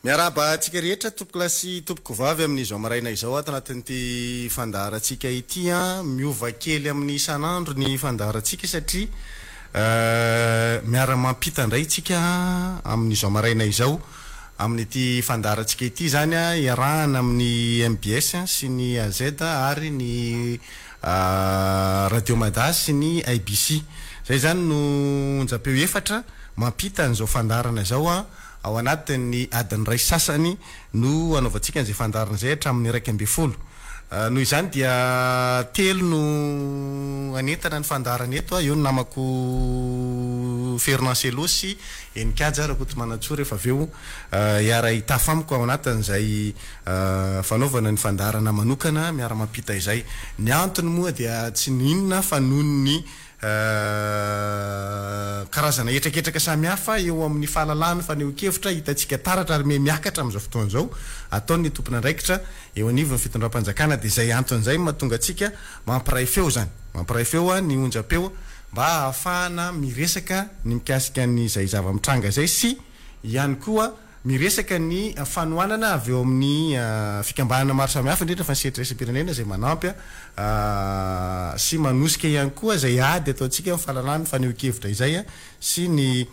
Miarahaba antsika rehetra tompokolahy sy tompokovavy amin'izao maraina izao ato anatin'ity fandaharantsika ity an. Miova kely amin'ny isan'andro ny fandaharantsika satria miara-mampita indray isika amin'izao maraina izao. Amin'ity fandaharantsika ity izany iarahana amin'ny mbs sy ny AZ ary ny Radio Mada sy ny IBC. Izay izany no onjam-peo efatra mampita an'izao fandaharana izao ao anatin'ny adiny iray sy sasany no hanaovantsika an'izay fandaharana izay hatramin'ny 11. Noho izany dia telo no hanentana ny fandaharana eto, eo ny namako Fernand Cello sy Heninkaja Rakotomanantsoa rehefa avy eo hiara-hitafa amiko ao anatin'izay fanaovana ny fandaharana manokana miara-mampita izay. Ny antony moa dia tsy n'inona fa noho ny Karazana hetraketraka samihafa eo amin'ny fahalalahana fanehoan-kevitra hitantsika taratra ary miha miakatra amin'izao fotoana izao ataon'ny tompon'andraikitra eo anivon'ny fitondram-panjakana dia izay antony izay no mahatonga antsika mampiray feo izany mampiray feo ny onjam-peo mba hahafahana miresaka ny mikasika an'izay zava-mitranga izay sy ihany koa Miresaka ny fanohanana avy eo amin'ny fikambanana maro samihafa, indrindra fa ny sehatra iraisam-pirenena izay manampy sy manosika ihany koa izay ady ataontsika amin'ny fahalalahana ny fanehoan-kevitra izay sy ny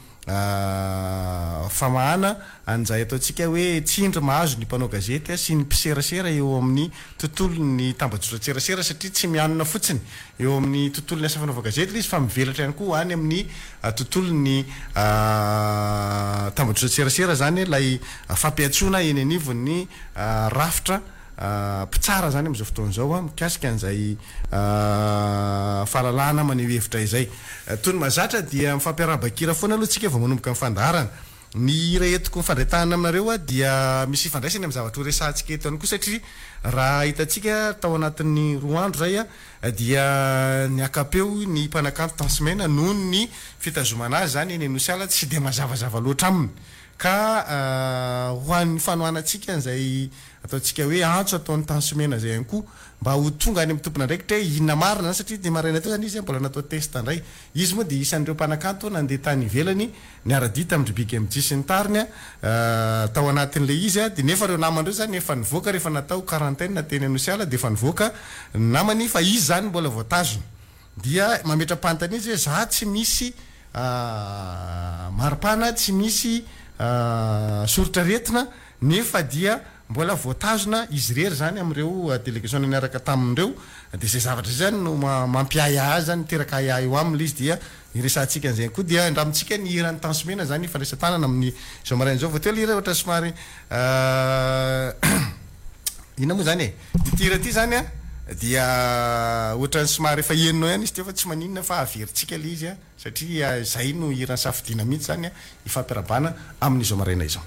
famahana an'izay ataontsika hoe tsindry mahazo ny mpanao gazety sy ny mpiserasera eo amin'ny tontolon'ny tambajotran-tserasera satria tsy mianona fotsiny eo amin'ny tontolon'ny asa fanaovan-gazety ilay izy fa mivelatra ihany koa any amin'ny tontolon'ny tambajotran-tserasera izany ilay fampiantsoana eny anivon'ny rafitra mpitsara izany amin'izao fotoana izao mikasika an'izay fahalalahana maneho hevitra izay. Toy ny mahazatra dia mifampiarahaba-kira foana aloha isika vao manomboka ny fandaharana. Ny hira entiko mifandray tanana aminareo dia misy ifandraisany amin'ny zavatra horesahantsika eto ihany koa satria raha hitantsika tao anatin'ny roa andro izay dia niaka-peo ny mpanakanto Tansimena noho ny fitazomana azy izany eny Anosiala tsy dia mazavazava loatra aminy ka ho an'ny fanohanantsika an'izay ataontsika hoe antso ataon'ny Tansimena izay ihany koa mba ho tonga any amin'ny tompon'andraikitra hoe inona marina izany satria dia maraina teo izany izy mbola natao test indray. Izy moa dia isan'ireo mpanakanto nandeha tany ivelany niara-dia tamin-dry Big MJ sy ny tariny tao anatin'ilay izy dia nefa ireo namany ireo izany efa nivoaka rehefa natao quarantaine teny Anosiala dia efa nivoaka ny namany fa izy izany mbola voatazona dia mametra-panontaniana izy hoe za tsy misy maripana tsy misy soritr'aretina nefa dia mbola voatazona izy irery izany amin'ireo delegasiona niaraka taminy ireo dia izay zavatra izay izany no mampiahiahy azy izany miteraka ahiahy eo aminy ilay izy dia Iresahantsika an'izay ihany koa dia andramintsika ny hiran'ny Tanso Mena izany ifandraisan-tanana amin'ny izao maraina izao. Vao teo ilay hira ohatra somary inona moa izany e? Ity hira ity izany an dia ohatran'ny somary efa henonao ihany izy teo fa tsy maninona fa averintsika ilay izy satria izay no hira nisafidiana mihitsy izany hifampirahabana amin'izao maraina izao.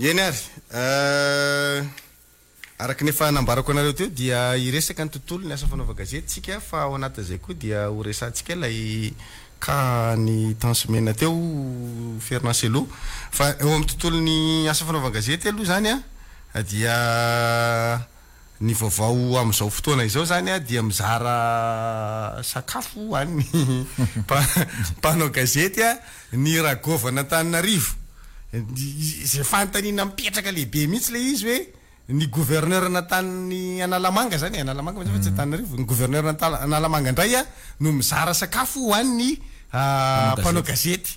Eny ary. Araka ny efa nambarako anareo teo dia hiresaka ny tontolon'ny asa fanaovan-gazety isika fa ao anatin'izay koa dia ho resahantsika ilay cas ny Tence Mena teo Fernand Cello. Fa eo amin'ny tontolon'ny asa fanaovan-gazety aloha izany dia ny vaovao amin'izao fotoana izao izany dia mizara sakafo ho an'ny mpanao gazety ny Ragovan'Antananarivo. Izay fanontaniana mipetraka lehibe mihitsy ilay izy hoe ny gouverneur natanin'ny Analamanga zany e, Analamanga moa zany fa tsy Antananarivo, ny gouverneur Analamanga indray no mizara sakafo ho an'ny mpanao gazety.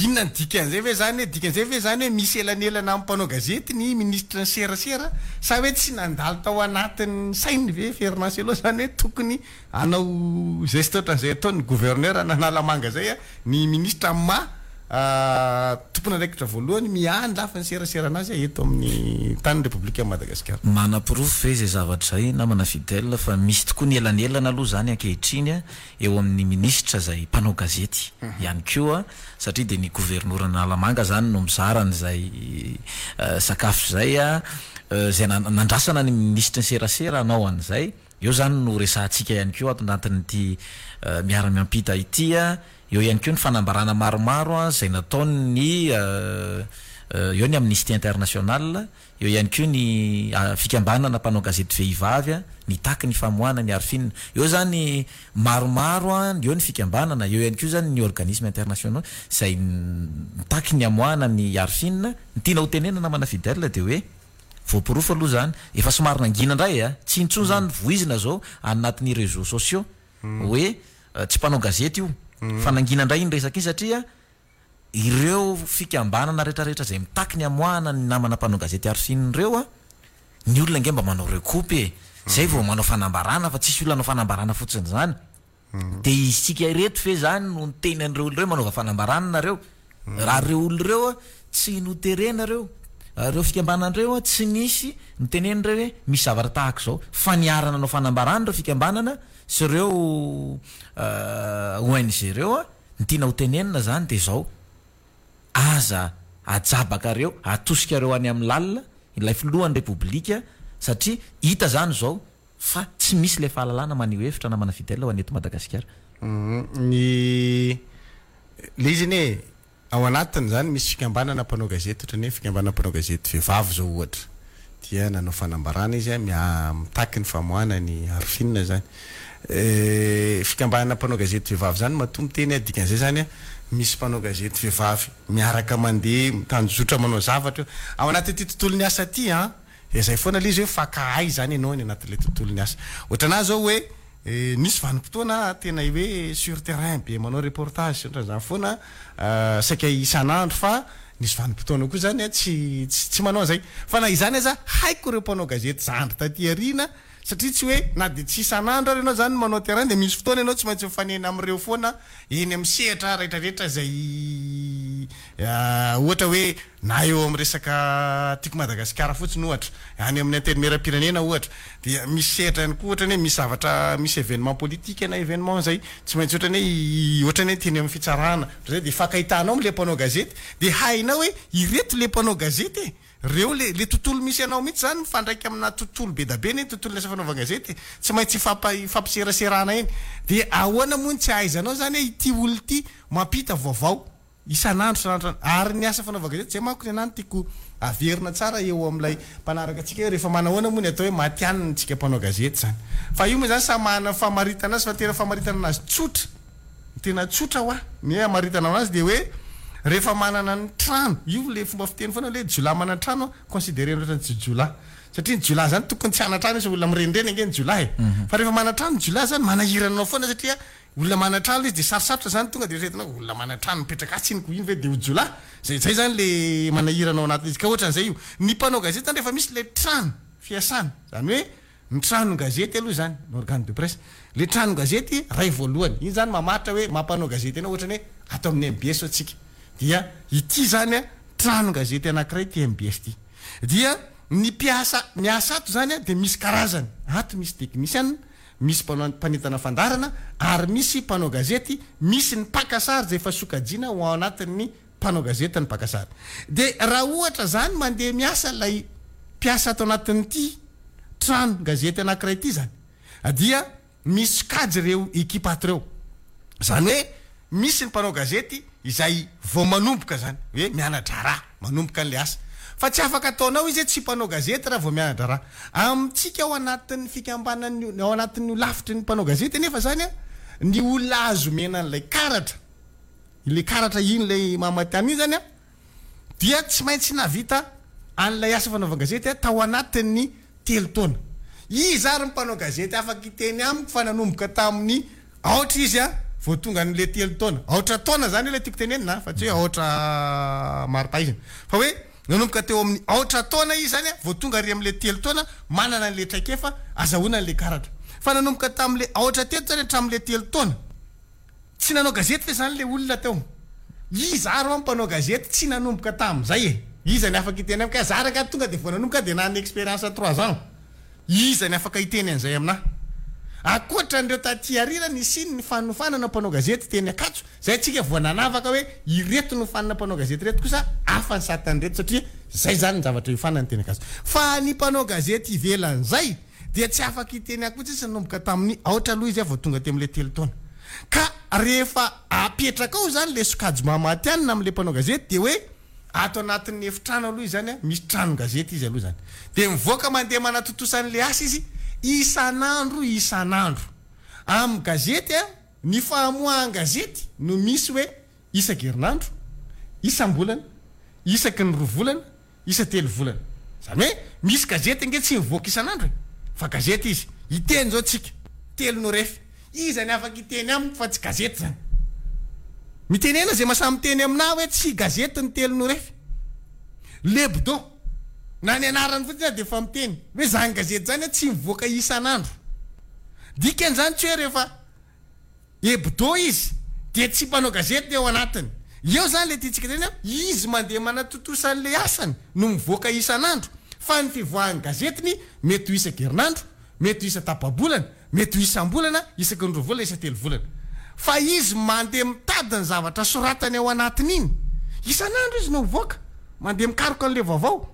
Inona ny dikan'izay ve zany hoe, dikan'izay ve zany hoe misy elanelana amin'ny mpanao gazety ny minisitry ny serasera sa hoe tsy nandalo tao anatin'ny sainy ve Fernand Cello zany hoe tokony hanao geste ohatran'izay ataon'ny gouverneur an'Analamanga zay ny minisitra amin'ny maha tompon'andraikitra voalohany miahy ny lafiny seraserana azy eto amin'ny tanin'ny Repoblikan'i Madagasikara. Manaporofo ve izay zavatra izay namana Fidèle fa misy tokoa ny elanelana aloha izany ankehitriny eo amin'ny minisitra izay mpanao gazety ihany koa satria dia ny governoran'Analamanga izany no mizara an'izay sakafo izay, izay nandrasana ny minisitry ny serasera hanao an'izay. Eo izany no resahantsika ihany koa ato anatin'ity miara-miampita ity. Eo ihany koa ny fanambarana maromaro izay nataon'ny eo ny Amnesty International, eo ihany koa ny fikambanana mpanao gazety vehivavy nitaky ny famoahana ny Arfin. Eo izany maromaro, eo ny fikambanana, eo ihany koa izany ny organismes internationaux izay mitaky ny hamoahana ny Arfin. Ny tiana ho tenenana namana Fidèle dia hoe. Voaporofo aloha zany, efa somary nangina indray a! Tsy intsony zany voizina zao any anatin'ny réseaux sociaux hoe tsy mpanao gazety io fa nangina indray iny resaka iny satria ireo fikambanana retraretra izay mitaky ny hamoahana ny namana mpanao gazety Arfin ireo a, ny olona ange mba manao recoupe e! Zay vao manao fanambarana fa tsisy olona hanao fanambarana fotsiny zany. Dia isika ireto ve izany no niteny an'ireo olona ireo manaova fanambarana nareo? Raha ireo olona ireo tsy noterena ireo, ireo fikambanana ireo tsy nisy nitenena ireo hoe misy zavatra tahaka izao fa niara-nanao fanambarana ireo fikambanana sy ireo ONG ireo, ny tiana ho tenenina izany dia izao, aza ajabakareo, atosikareo any amin'ny lalina ilay filohan'ny Repoblika satria hita izany izao Fa tsy misy ilay fahalalana maneho hevitra namana Fidèle ho an'ny eto Madagasikara. Ny le izy anie ao anatiny zany misy fikambanana mpanao gazety ohatran'ny hoe fikambanana mpanao gazety vehivavy zao ohatra dia nanao fanambarana izy a mitaky ny famoahana ny Arfin zany. Fikambanana mpanao gazety vehivavy zany matoa miteny aho dikan'izay zany a misy mpanao gazety vehivavy miaraka mandeha mitanjozotra manao zavatra eo. Ao anatin'ity tontolon'ny asa ity an. Dia zay foana le izy hoe faka hay zany ianao any anatin'ilay tontolon'ny asa. Ohatranà zao hoe nisy vanim-potoana aho tena hoe sur terrain be manao reportage sy ohatran'izany foana saika isan'andro fa nisy vanim-potoana koa zany tsy tsy manao an'izay. Fa na izany aza haiko ireo mpanao gazety zandry taty aoriana satria tsy hoe na dia tsy isan'andro ary ianao zany no manao terrain dia misy fotoana ianao tsy maintsy mifanena amin'ireo foana eny amin'ny sehatra retraretra izay ohatra hoe na eo amin'ny resaka Tiako Madagasikara fotsiny ohatra, any amin'ny Antenimierampirenena ohatra, dia misy sehatra ihany koa ohatra ny hoe misy zavatra, misy événement politique na événement izay tsy maintsy ohatra ny hoe ohatra ny hoe teny amin'ny fitsarana, ohatr'izay dia ifankahitanao amin'ilay mpanao gazety dia hainao hoe ireto ilay mpanao gazety e! Reo le le tontolo misy anao mihitsy zany mifandraika amina tontolo be da be anie ny tontolon'ny asa fanaovan-gazety e! Tsy maintsy ifampa ifampiseraserana eny. Dia ahoana moa no tsy ahaizanao zany hoe ity olona ity mampita vaovao isan'andro isan'andro isan'andro. Ary ny asa fanaovan-gazety zay manko ny anah no tiako averina tsara eo amin'ilay mpanaraka antsika hoe rehefa manahoana moa ny atao hoe matihanina antsika mpanao gazety zany. Fa io moa zany samy manana ny famaritana azy fa ny tena famaritana anazy tsotra Ny tena tsotra hoa ny hoe hamaritana anazy dia hoe rehefa manana ny trano, io le fomba fiteny foana hoe jiolahy manan-trano considerena ohatran'ny tsy jiolahy. Satria ny jiolahy zany tokony tsy hanan-trano izy fa olona mirenireny ange ny jiolahy e. Fa rehefa manan-trano ny jiolahy zany manahirana anao foana satria olona manan-trano le izy dia sarosarotra zany tonga dia eritreretinao olona manan-trano mipetraka atsy iny ko iny ve dia ho jiolahy? Zay zay zany le manahirana ao anatin'izy. Ka ohatran'izay io. Ny mpanao gazety zany rehefa misy le trano fiasana, zany hoe Ny tranon-gazety aloha izany, ny organe de presse. Ilay tranon-gazety iray voalohany, iny izany mamaritra hoe maha mpanao gazety anao, ohatra ny hoe ato amin'ny mbs zao tsika, dia ity izany an, tranon-gazety anankiray ity mbs ity. Dia ny mpiasa miasa ato izany an, dia misy karazany, ato misy teknisiana, misy mpanao mpanentana fandaharana, ary misy mpanao gazety, misy ny mpaka sary izay efa sokajiana ho ao anatin'ny. mpanao gazety ny mpaka sary. Dia raha ohatra izany mandeha miasa ilay mpiasa ato anatin'ity trano gazety anankiray ity izany dia misy sokajy ireo ekipa ato ireo. Izany hoe misy ny mpanao gazety izay vao manomboka izany hoe miana-draharaha, manomboka an'ilay asa. Fa tsy afaka ataonao izy hoe tsy mpanao gazety raha vao miana-draharaha. Amintsika ao anatin'ny fikambanan'ny, ao anatin'ny holafitry ny mpanao gazety anefa izany ny olona azo omena an'ilay karatra, ilay karatra iny ilay maha matihanina iny izany an, dia tsy maintsy nahavita an'ilay asa fanaovan-gazety tao anatin'ny telo taona. Iza ary ny mpanao gazety afaka hiteny amiko fa nanomboka tamin'ny aotra izy vao tonga an'ilay telo taona? Aotra taona izany ilay tiako tenenina fa tsy hoe aotra mari-pahaizana. Fa hoe nanomboka teo amin'ny aotra taona izy izany vao tonga ary amin'ilay telo taona manana an'ilay traikefa azahoana an'ilay karatra. Fa nanomboka tamin'ilay aotra teto izany hatramin'ilay telo taona. Tsy nanao gazety ve zany le olona teo? Iza ary hoa mpanao gazety tsy nanomboka tamin'izay e? Iza ny afaka hiteny amiko hoe za rangahy tonga de vao nanomboka de nanana expérience trois ans? Iza ny afaka hiteny an'izay aminah? Ankoatra an'ireo taty aoriana nisian'ny fanofanana mpanao gazety teny Ankatso, zay tsika vao nanavaka hoe ireto nofanina mpanao gazety ireto kosa hafa ny satan'ireto satria zay zany ny zavatra iofanany teny Ankatso. Fa ny mpanao gazety ivelan'izay dia tsy afaka hiteny akory izy nanomboka tamin'ny aotra aloha izy vao tonga teo amin'ilay telo taona. Ka rehefa apetraka ao izany ilay sokajy maha matihanina amin'ilay mpanao gazety dia hoe ato anatin'ny efitrano aloha izany an, misy tranon-gazety izy aloha izany. Dia mivoaka mandeha manatontosa an'ilay asa izy isan'andro isan'andro. Amin'ny gazety an, ny famoahan-gazety no misy hoe isan-kerinandro, isam-bolana, isaky ny roa volana, isa-telo volana. Izany hoe misy gazety ange tsy mivoaka isan'andro e! Fa gazety izy. Hiteny izao tsika. Telo no ref. Iza ny afaka hiteny amiko fa tsy gazety izany? Mitenena izay mahasahy miteny aminà hoe tsy gazety ny telo no ref. L'hebdo. Na ny anarany fotsiny aza dia efa miteny hoe izany gazety izany tsy mivoaka isan'andro. Dikan'izany tsy hoe rehefa. Hebdo izy dia tsy mpanao gazety ny ao anatiny. Eo zany le tiantsika tenenina, izy mandeha manatontosa an'le asany no mivoaka isan'andro fa ny fivoahan'ny gazetiny mety ho isan-kerinandro, mety ho isan-tapa-bolana, mety ho isam-bolana, isaky ny roa volana, isan-telo volana. Fa izy mandeha mitady ny zavatra soratany ao anatiny iny. Isan'andro izy no mivoaka, mandeha mikaroka an'le vaovao.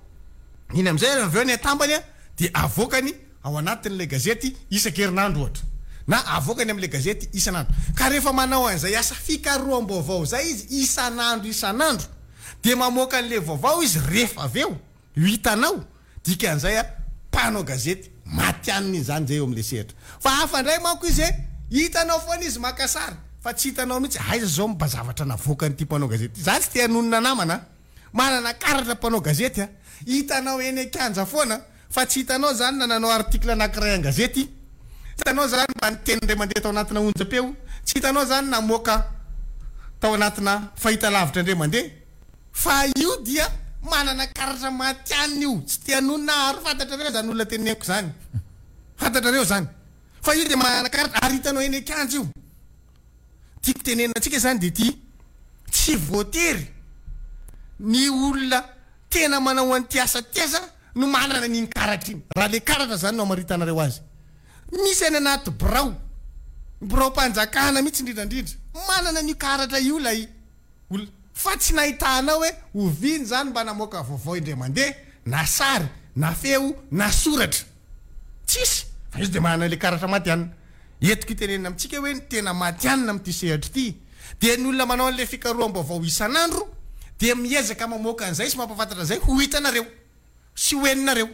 Iny amin'izay ary avy eo ny atambany dia avoakany. ao anatin'ilay gazety isan-kerinandro ohatra, na avoakany amin'ilay gazety isan'andro. Ka rehefa manao an'izay asa fikaroham-baovao izay izy isan'andro isan'andro, dia mamoaka an'ilay vaovao izy rehefa avy eo, ho hitanao, dikan'izay a, mpanao gazety matihanina izy izany izay eo amin'ilay sehatra. Fa hafa indray manko izy e, hitanao foana izy maka sary, fa tsy hitanao mihitsy aiza izao mba zavatra navoakan'ity mpanao gazety ity. Za tsy te hanonona namana a! Manana karatra mpanao gazety a! Hitanao eny an-kianja foana fa tsy hitanao zany na nanao article anakiray an-gazety, tsy hitanao zany mba niteny indray mandeha tao anatina onjam-peo, tsy hitanao zany namoaka tao anatina fahitalavitra indray mandeha, fa io dia manana karatra matihanina io, tsy te hanonona aho ary fantatrareo zany olona teneniko zany, fantatrareo zany, fa io dia manana karatra ary hitanao eny an-kianja io. Tiako tenenina antsika zany dia ity, tsy voatery ny olona tena manao an'ity asa ity aza no manana an'iny karatra iny, raha le karatra zany no amaritanareo azy. Misy any anaty birao, biraom-panjakana mihitsy indrindra indrindra, manana an'io karatra io ilay olona fa tsy nahitanao hoe oviana izany mba namoaka vaovao indray mandeha na sary na feo na soratra. Tsisy! Fa izy dia manana ilay karatra matihanina. Entiko itenenina amintsika hoe ny tena matihanina amin'ity sehatra ity dia ny olona manao an'ilay fikaroham-baovao isan'andro dia miezaka mamoaka an'izay sy mampahafantatra an'izay ho hitanareo sy ho henonareo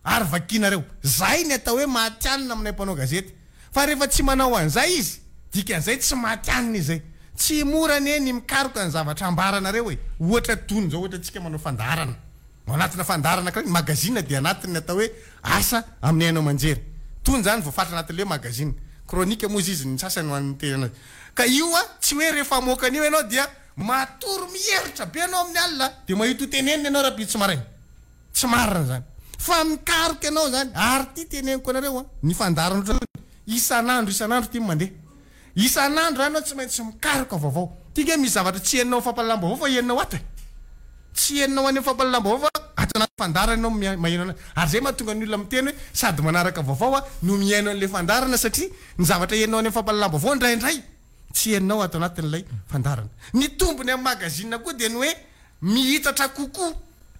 ary vakinareo. Izay ny atao hoe matihanina aminay mpanao gazety. Fa rehefa tsy manao an'izay izy, dikan'izay tsy matihanina izy izay. Tsy mora anie ny mikaroka ny zavatra ambaranareo e! Ohatra tony izao, ohatra antsika manao fandaharana. Ao anatina fandaharana anankiray, ny magazine dia anatin'ny atao hoe asa amin'ny haino aman-jery. Tony izany voafaritra anatin'ilay hoe magazine. Chronique moa izy izy ny sasany ho an'ny teny anazy. Ka io an, tsy hoe rehefa hamoaka an'io ianao dia matory mieritra be ianao amin'ny alina dia mahita ho tenenina ianao rahampitso maraina. Tsy marina izany. Fa mikaroka ianao izany. Ary ity teneniko anareo an, ny fandaharana ohatran'izany, isan'andro isan'andro ity no mandeha. Isan'andro zany ianao tsy maintsy mikaroka vaovao. Ty nge misy zavatra tsy henonao amin'ny fampahalalam-baovao fa henonao ato e. Tsy henonao any amin'ny fampahalalam-baovao fa ato anaty fandaharana ianao maheno anazy. Ary zay mahatonga ny olona miteny hoe sady manaraka vaovao aho no mihaino an'ilay fandaharana satria ny zavatra henonao any amin'ny fampahalalam-baovao indraindray. tsy henonao ato anatin'ilay fandaharana. Ny tombony amin'ny magazine koa dia ny hoe mihitatra kokoa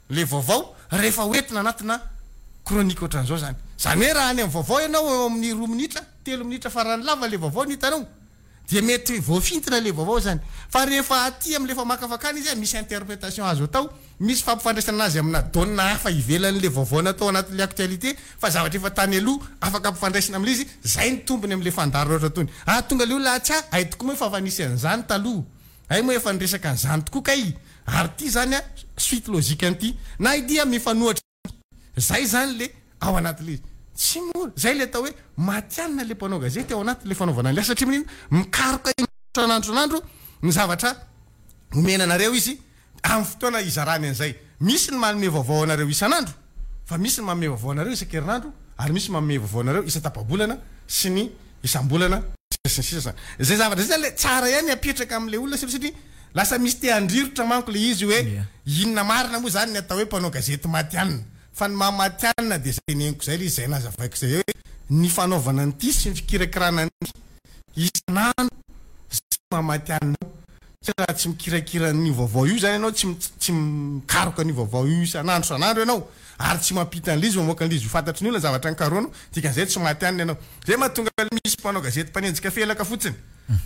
ilay vaovao rehefa hoentina anatina chronique ohatran'izao izany. Izany hoe raha any amin'ny vaovao ianao eo amin'ny roa minitra, telo minitra farany lava ilay vaovao no hitanao. Dia mety voafintina ilay vaovao izany. Fa rehefa aty amin'ilay famakafakana izy, misy interprétation azo atao, misy fampifandraisana azy amina donne hafa ivelan'ilay vaovao natao anatin'ilay actualité, fa zavatra efa tany aloha afaka ampifandraisina amin'ilay izy, izay ny tombony amin'ilay fandaharana ohatra itony. Ah tonga ilay olona atsy ah, hay tokoa moa efa efa nisy an'izany taloha, hay moa efa niresaka an'izany tokoa kay, ary ity izany ah suite logique an'ity, na ity ah mifanohitra. Zay zany le ao anatin'le izy. Tsy mora. Zay le atao hoe matihanina le mpanao gazety ao anatin'le fanaovana an'le asa satria maninona? Mikaroka isan'andro isan'andro ny zavatra omena anareo izy amin'ny fotoana hizarany an'izay. Misy ny manome vaovao anareo isan'andro fa misy ny manome vaovao anareo isan-kerinandro ary misy manome vaovao anareo isan-tapa-bolana sy ny isam-bolana sy ny sisa zany. Zay zavatra zay zany le tsara ihany apetraka amin'le olona satria lasa misy te handrirotra manko le izy hoe inona marina moa zany ny atao hoe mpanao gazety matihanina. Fa ny maha matihanina dia zay teneniko zay le izy, zay nazavaiko zay hoe ny fanaovana an'ity sy ny fikirakirana an'ity isan'andro zay maha matihanina anao. Satria raha tsy mikirakira an'io vaovao io zany ianao, tsy tsy mikaroka an'io vaovao io isan'andro isan'andro ianao ary tsy mampita an'ilay izy, mamoaka an'ilay izy ho fantatry ny olona ny zavatra nikarohanao, dikan'izay tsy matihanina ianao. Zay mahatonga misy mpanao gazety mpanenjika felaka fotsiny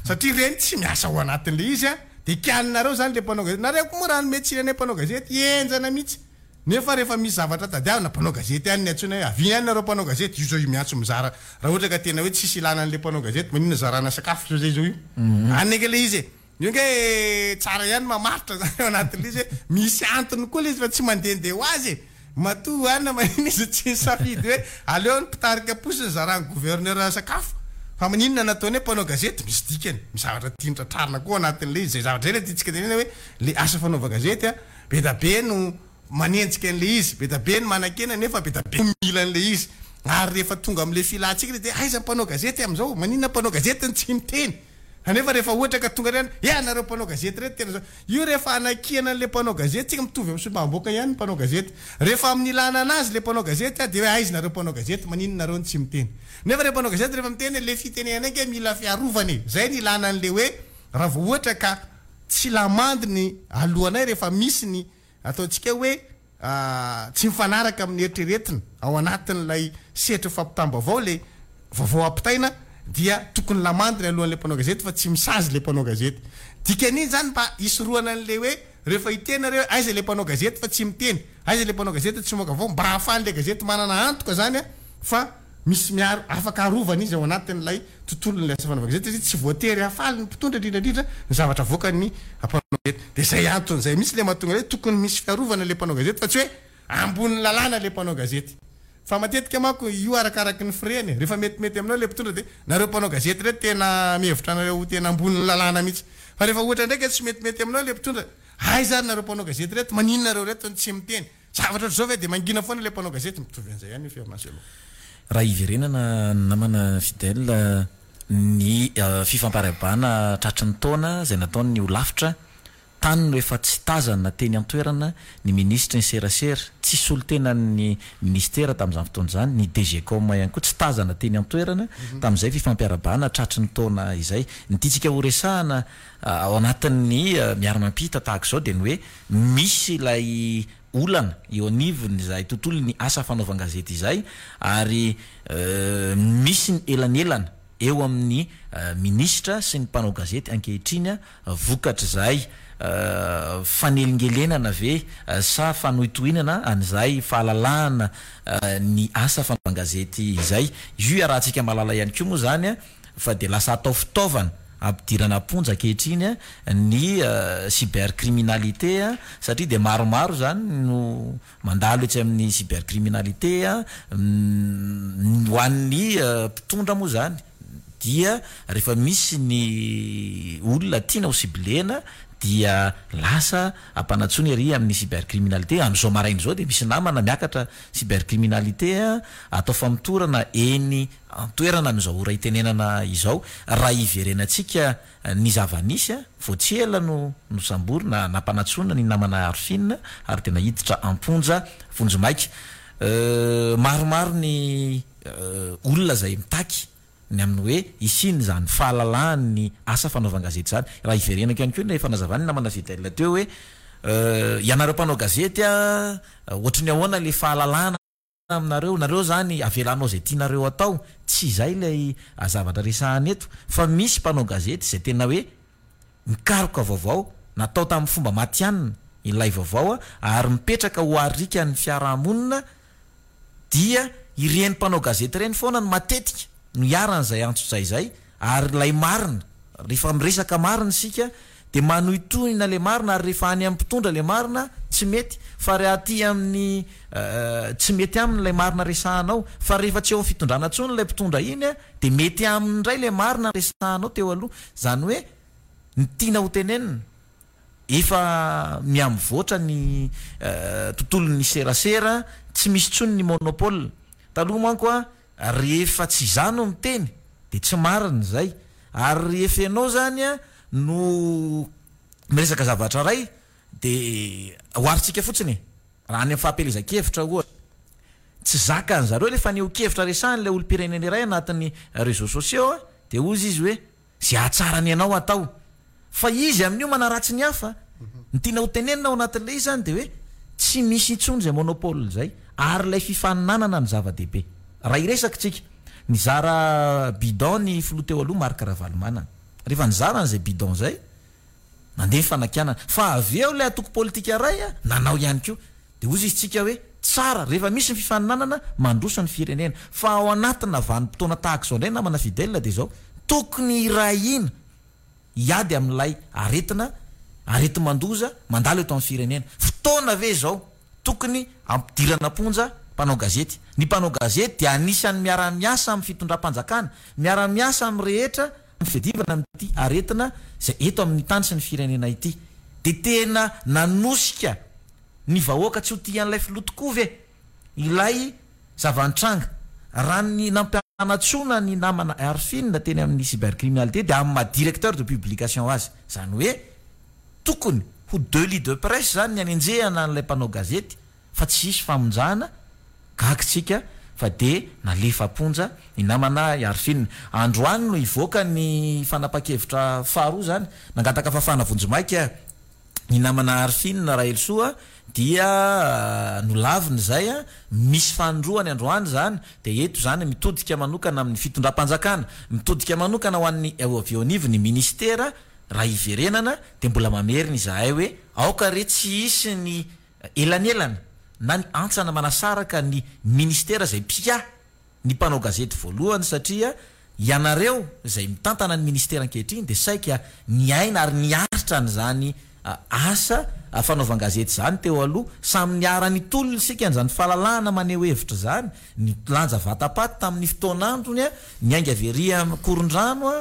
satria ireny tsy miasa ao anatin'ilay izy an, dia kianinareo zany ilay mpanao gazety, nareo koa moa raha hanome tsiny anay mpanao gazety henjana mihitsy. Nefa rehefa misy zavatra tadiavina, mpanao gazety ihany ny antsoina hoe avia ihany nareo mpanao gazety, io zao io miantso mizara, raha ohatra ka tena hoe tsisy ilana an'le mpanao gazety, maninona zarana sakafo zao zay zao io? Any ange le izy e! Io ange tsara ihany mamaritra zany ao anatin'le izy hoe misy antony koa le izy fa tsy mandehandeha ho azy e! Matoa any maninona izy tsy nisafidy hoe aleo ny mpitarika posy ny zaran'ny gouverneur sakafo fa maninona nataony hoe mpanao gazety, misy dikany, misy zavatra tiany tratrarina koa ao anatin'le izy, zay zavatra zay le tiantsika tenenina hoe le asa fanaovan-gazety a! Be da be no manenjika an'ilay izy, be da be ny manakena nefa be da be no mila an'ilay izy. Ary rehefa tonga amin'ilay filantsika dia aiza ny mpanao gazety amin'izao? Maninona mpanao gazety no tsy miteny? Kanefa rehefa ohatra ka tonga indray any, eh nareo mpanao gazety ireto tena zao. Io rehefa anakiana an'ilay mpanao gazety, tsika mitovy amin'ny solombavambahoaka ihany ny mpanao gazety. Rehefa amin'ny ilana anazy ilay mpanao gazety dia hoe aiza nareo mpanao gazety, maninona nareo no tsy miteny? Nefa ilay mpanao gazety rehefa miteny ilay fitenenana ange mila fiarovana e. Izay no ilana an'ilay hoe raha vao ohatra ka Tsy lamandy ny alohanay rehefa misy ny ataontsika hoe tsy mifanaraka amin'ny eritreretina ao anatin'ilay sehatry ny fampitam-baovao ilay vaovao ampitaina dia tokony lamandy ny alohan'ilay mpanao gazety fa tsy misazy ilay mpanao gazety. Dikan'iny izany mba hisorohana an'ilay hoe rehefa hiteny nareo hoe aiza ilay mpanao gazety fa tsy miteny, aiza ilay mpanao gazety tsy mamoaka vaovao, mba ahafahan'ilay gazety manana antoka izany fa Misy miaro, afaka arovana izy ao anatin'ilay tontolon'ilay asa fanaovana gazety satria tsy voatery hahafaly ny mpitondra indrindra indrindra ny zavatra avoakan'ny mpanao gazety. Dia izay antony izay mihitsy ilay mahatonga hoe tokony misy fiarovana ilay mpanao gazety fa tsy hoe ambonin'ny lalàna ilay mpanao gazety. Fa matetika manko io arakaraky ny firehany e. Rehefa metimety aminao ilay mpitondra dia nareo mpanao gazety ireto tena mihevitra anareo ho tena ambonin'ny lalàna mihitsy. Fa rehefa ohatra indray ka tsy metimety aminao ilay mpitondra, aiza ary nareo mpanao gazety ireto, maninona nareo ireto no tsy miteny? Zavatra ohatr'izao ve dia mangina foana ilay mpanao gazety? Mitovy an'izay ihany io Fernand Raha hiverenana namana Fidèle, ny fifampiarahabana tratry ny taona izay nataon'ny holafitra, tany no efa tsy tazana teny an-toerana ny minisitry ny serasera, tsy solontenan'ny minisitera tamin'izany fotoana izany, ny DGCOM ihany koa tsy tazana teny an-toerana tamin'izay fifampiarahabana tratry ny taona izay. Ny tiantsika horesahana ao anatin'ny miara-mampita tahaka izao dia ny hoe Misy ilay olana eo anivon'izay tontolon'ny asa fanaovan-gazety izay ary misy ny elanelana eo amin'ny minisitra sy ny mpanao gazety ankehitriny vokatr'izay fanelingelenana ve sa fanohitohinana an'izay fahalalahana ny asa fanaovan-gazety izay. Io iarahantsika mahalala ihany koa moa izany fa dia lasa atao fitaovana ampidirana am-ponja ankehitriny ny cybercriminalité satria dia maromaro izany no mandalo etsy amin'ny cybercriminalité ho an'ny mpitondra moa izany dia rehefa misy ny olona tiana ho ciblena dia lasa ampanantsoina ery amin'ny cybercriminalité. Amin'izao maraina izao dia misy namana miakatra cybercriminalité atao famotorana eny An-toerana amin'izao ora itenenana izao, raha hiverenantsika ny zava-nisy, vao tsy ela no nosamborina, nampanantsoina ny namana Arfin ary dia naiditra am-ponja vonjimaika. Maromaro ny olona izay mitaky ny amin'ny hoe hisian'izany fahalalahan'ny asa fanaovan-gazety izany. Raha hiverenako ihany koa ilay fanazavan'ny namana Fidèle teo hoe ianareo mpanao gazety a, ohatry ny ahoana ilay fahalalahana aminareo, nareo izany avelanao izay tianareo atao, tsy izay ilay zavatra resahana eto fa misy mpanao gazety izay tena hoe mikaroka vaovao, natao tamin'ny fomba matihanina ilay vaovao ary mipetraka ho arikan'ny fiarahamonina dia ireny mpanao gazety ireny foana no matetika no iharan'izay antsojay izay ary ilay marina, rehefa miresaka marina isika dia manohitohina ilay marina ary rehefa any amin'ny mpitondra ilay marina tsy mety fa raha aty amin'ny tsy mety aminy ilay marina resahanao fa rehefa tsy eo amin'ny fitondrana intsony ilay mpitondra iny dia mety aminy indray ilay marina resahanao teo aloha, izany hoe ny tiana ho tenenina Efa mihamivoatra ny tontolon'ny serasera, tsy misy intsony ny monopole. Taloha manko a, rehefa tsy izaho no miteny dia tsy marina izay. Ary rehefa ianao izany no miresaka zavatra iray dia oharintsika fotsiny e, raha any amin'ny fahampielezan-kevitra ohatra, tsy zakan'ny zareo ilay fanehoan-kevitra resahan'ilay olom-pirenena iray anatin'ny réseaux sociaux dia hozy izy hoe Ze hahatsara ny anao atao. Fa izy amin'io manaratsy ny hafa. Ny tiana ho tenenina ao anatin'ilay izy zany dia hoe tsy misy intsony izay monopole izay ary ilay fifaninanana no zava-dehibe. Raha hiresaka tsika, nizara bidon ny filoha teo aloha Marc Ravalomanana. Rehefa nizara an'izay bidon izay, nandeha ny fanakianana. Fa avy eo ilay antoko politika iray nanao ihany koa. Dia hozy izy tsika hoe, tsara rehefa misy ny fifaninanana, mandroso ny firenena. Fa ao anatina vanim-potoana tahaka izao indray namana Fidèle dia izao, tokony hiray hina hiady amin'ilay aretina, areti-mandoza mandalo eto amin'ny firenena. Fotoana ve izao tokony hampidirana am-ponja mpanao gazety? Ny mpanao gazety dia anisan'ny miara-miasa amin'ny fitondram-panjakana, miara-miasa amin'ny rehetra amin'ny fiadivana amin'ity aretina izay eto amin'ny tany sy ny firenena ity. Dia tena nanosika Ny vahoaka tsy ho tia an'ilay filoha tokoa ve ilay zava-nitranga? Raha ny nampianatsoana ny namana Arfin teny amin'ny cybercriminalité dia amin'ny maha directeur de publication azy. Izany hoe tokony ho delit de presse izany ny hanenjehana an'ilay mpanao gazety fa tsy hisy famonjana, gaga isika fa dia nalefa am-ponja ny namana Arfin. Androany no hivoaka ny fanapahan-kevitra faharoa izany, nangataka fahafahana vonjimaika Ny namana Arfin Raelisoa dia nolaviny izay, misy fanindroany androany izany, dia eto izany mitodika manokana amin'ny fitondram-panjakana, mitodika manokana ho an'ny avy eo anivon'ny minisitera, raha hiverenana dia mbola mamerina izahay hoe aoka re tsy hisy ny elanelana na ny hantsana manasaraka ny minisitera izay mpiahy ny mpanao gazety voalohany satria ianareo izay mitantana ny ministera ankehitriny dia saika niaina ary niaritra an'izany asa fanaovan-gazety izany teo aloha. Samy niara-nitolona isika an'izany fahalalahana maneho hevitra izany, nilanja vata-paty tamin'ny fotoan'androny, niainga avy ery Ankorondrano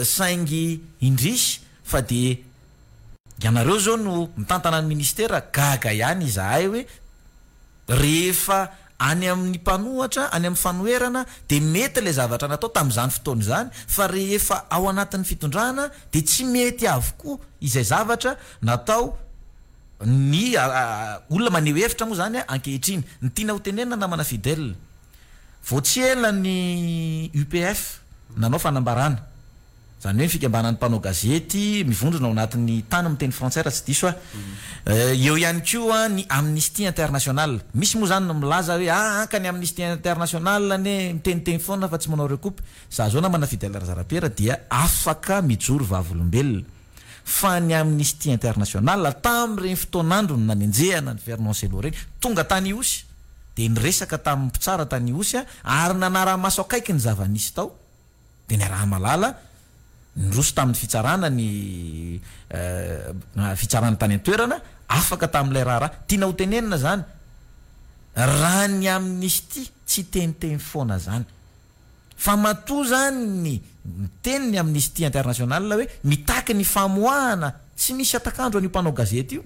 saingy indrisy fa dia ianareo izao no mitantana ny ministera, gaga ihany izahay hoe Rehefa any amin'ny mpanohatra, any amin'ny fanoherana dia mety ilay zavatra natao tamin'izany fotoana izany fa rehefa ao anatin'ny fitondrana dia tsy mety avokoa izay zavatra natao ny olona maneho hevitra moa izany ankehitriny. Ny tiana ho tenenina namana Fidèle, vao tsy ela ny UPF nanao fanambarana. Izany hoe ny fikambanan'ny mpanao gazety mivondrona ao anatin'ny tany miteny frantsay raha tsy diso aho. Eo ihany koa ny Amnesty International. Misy moa izany ny milaza hoe aa ka ny Amnesty International anie miteniteny foana fa tsy manao recoupe. Za zao namana Fidèle Razarapiera dia afaka mijoro vavolombelona fa ny Amnesty International tamin'ireny fotoan'androny nanenjehana an'i Fernand Cello ireny tonga tany Ihosy dia niresaka tamin'ny mpitsara tany Ihosy ary nanara-maso akaiky ny zava-nisy tao. dia niaraha-mahalala, niroso tamin'ny fitsarana ny fitsarana tany an-toerana, afaka tamin'ilay raharaha. Tiana ho tenenina izany, raha ny amnistie tsy teniteny foana izany. Fa matoa izany ny miteny ny Amnesty International hoe mitaky ny famoahana tsy misy hatak'andro an'io mpanao gazety io,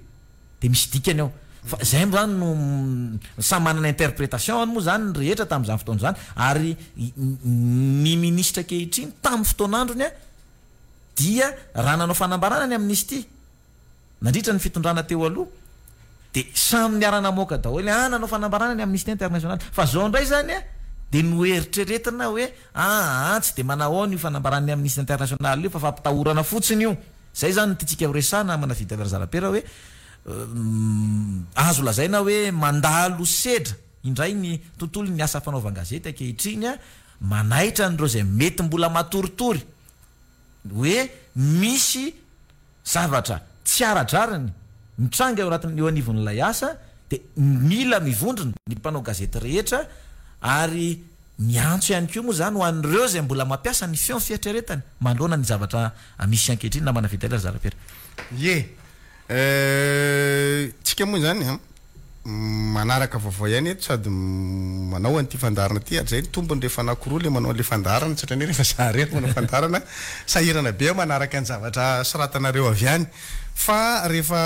Dia misy dikany ao. Fa izay moa izany no samy manana interprétation-ny moa izany ny rehetra tamin'izany fotoana izany. Ary ny minisitra ankehitriny tamin'ny fotoan'androny dia raha nanao fanambarana ny amnistie nandritra ny fitondrana teo aloha dia samy niara-namoaka daholo ah nanao fanambarana ny Amnesty International. Fa izao indray izany. Dia noeritreretina hoe aa tsy dia manahoana io fanambaran'ny Amnesty International io fa fampitahorana fotsiny io. Izay izany no tiantsika horesahana namana Fidèle Razarapera hoe azo lazaina hoe mandalo sedra indray ny tontolon'ny asa fanaovan-gazety ankehitriny, manaitra an'ireo izay mety mbola matoritory hoe misy zavatra tsy ara-drariny mitranga eo anatin'ny eo anivon'ilay asa dia mila mivondrona ny mpanao gazety rehetra ary miantso ihany koa moa izany ho an'ireo izay mbola mampiasa ny feon'ny fieritreretany manoloana ny zavatra misy ankehitriny namana Fidèle Razarapera. Ie. Tsika moa izany an, manaraka vaovao ihany eto sady manao an'ity fandaharana ity ary zay ny tombony rehefa anankiroa le manao an'le fandaharana tsy ohatran'ny hoe rehefa za irery manao fandaharana sahirana be aho manaraka ny zavatra soratanareo avy any fa rehefa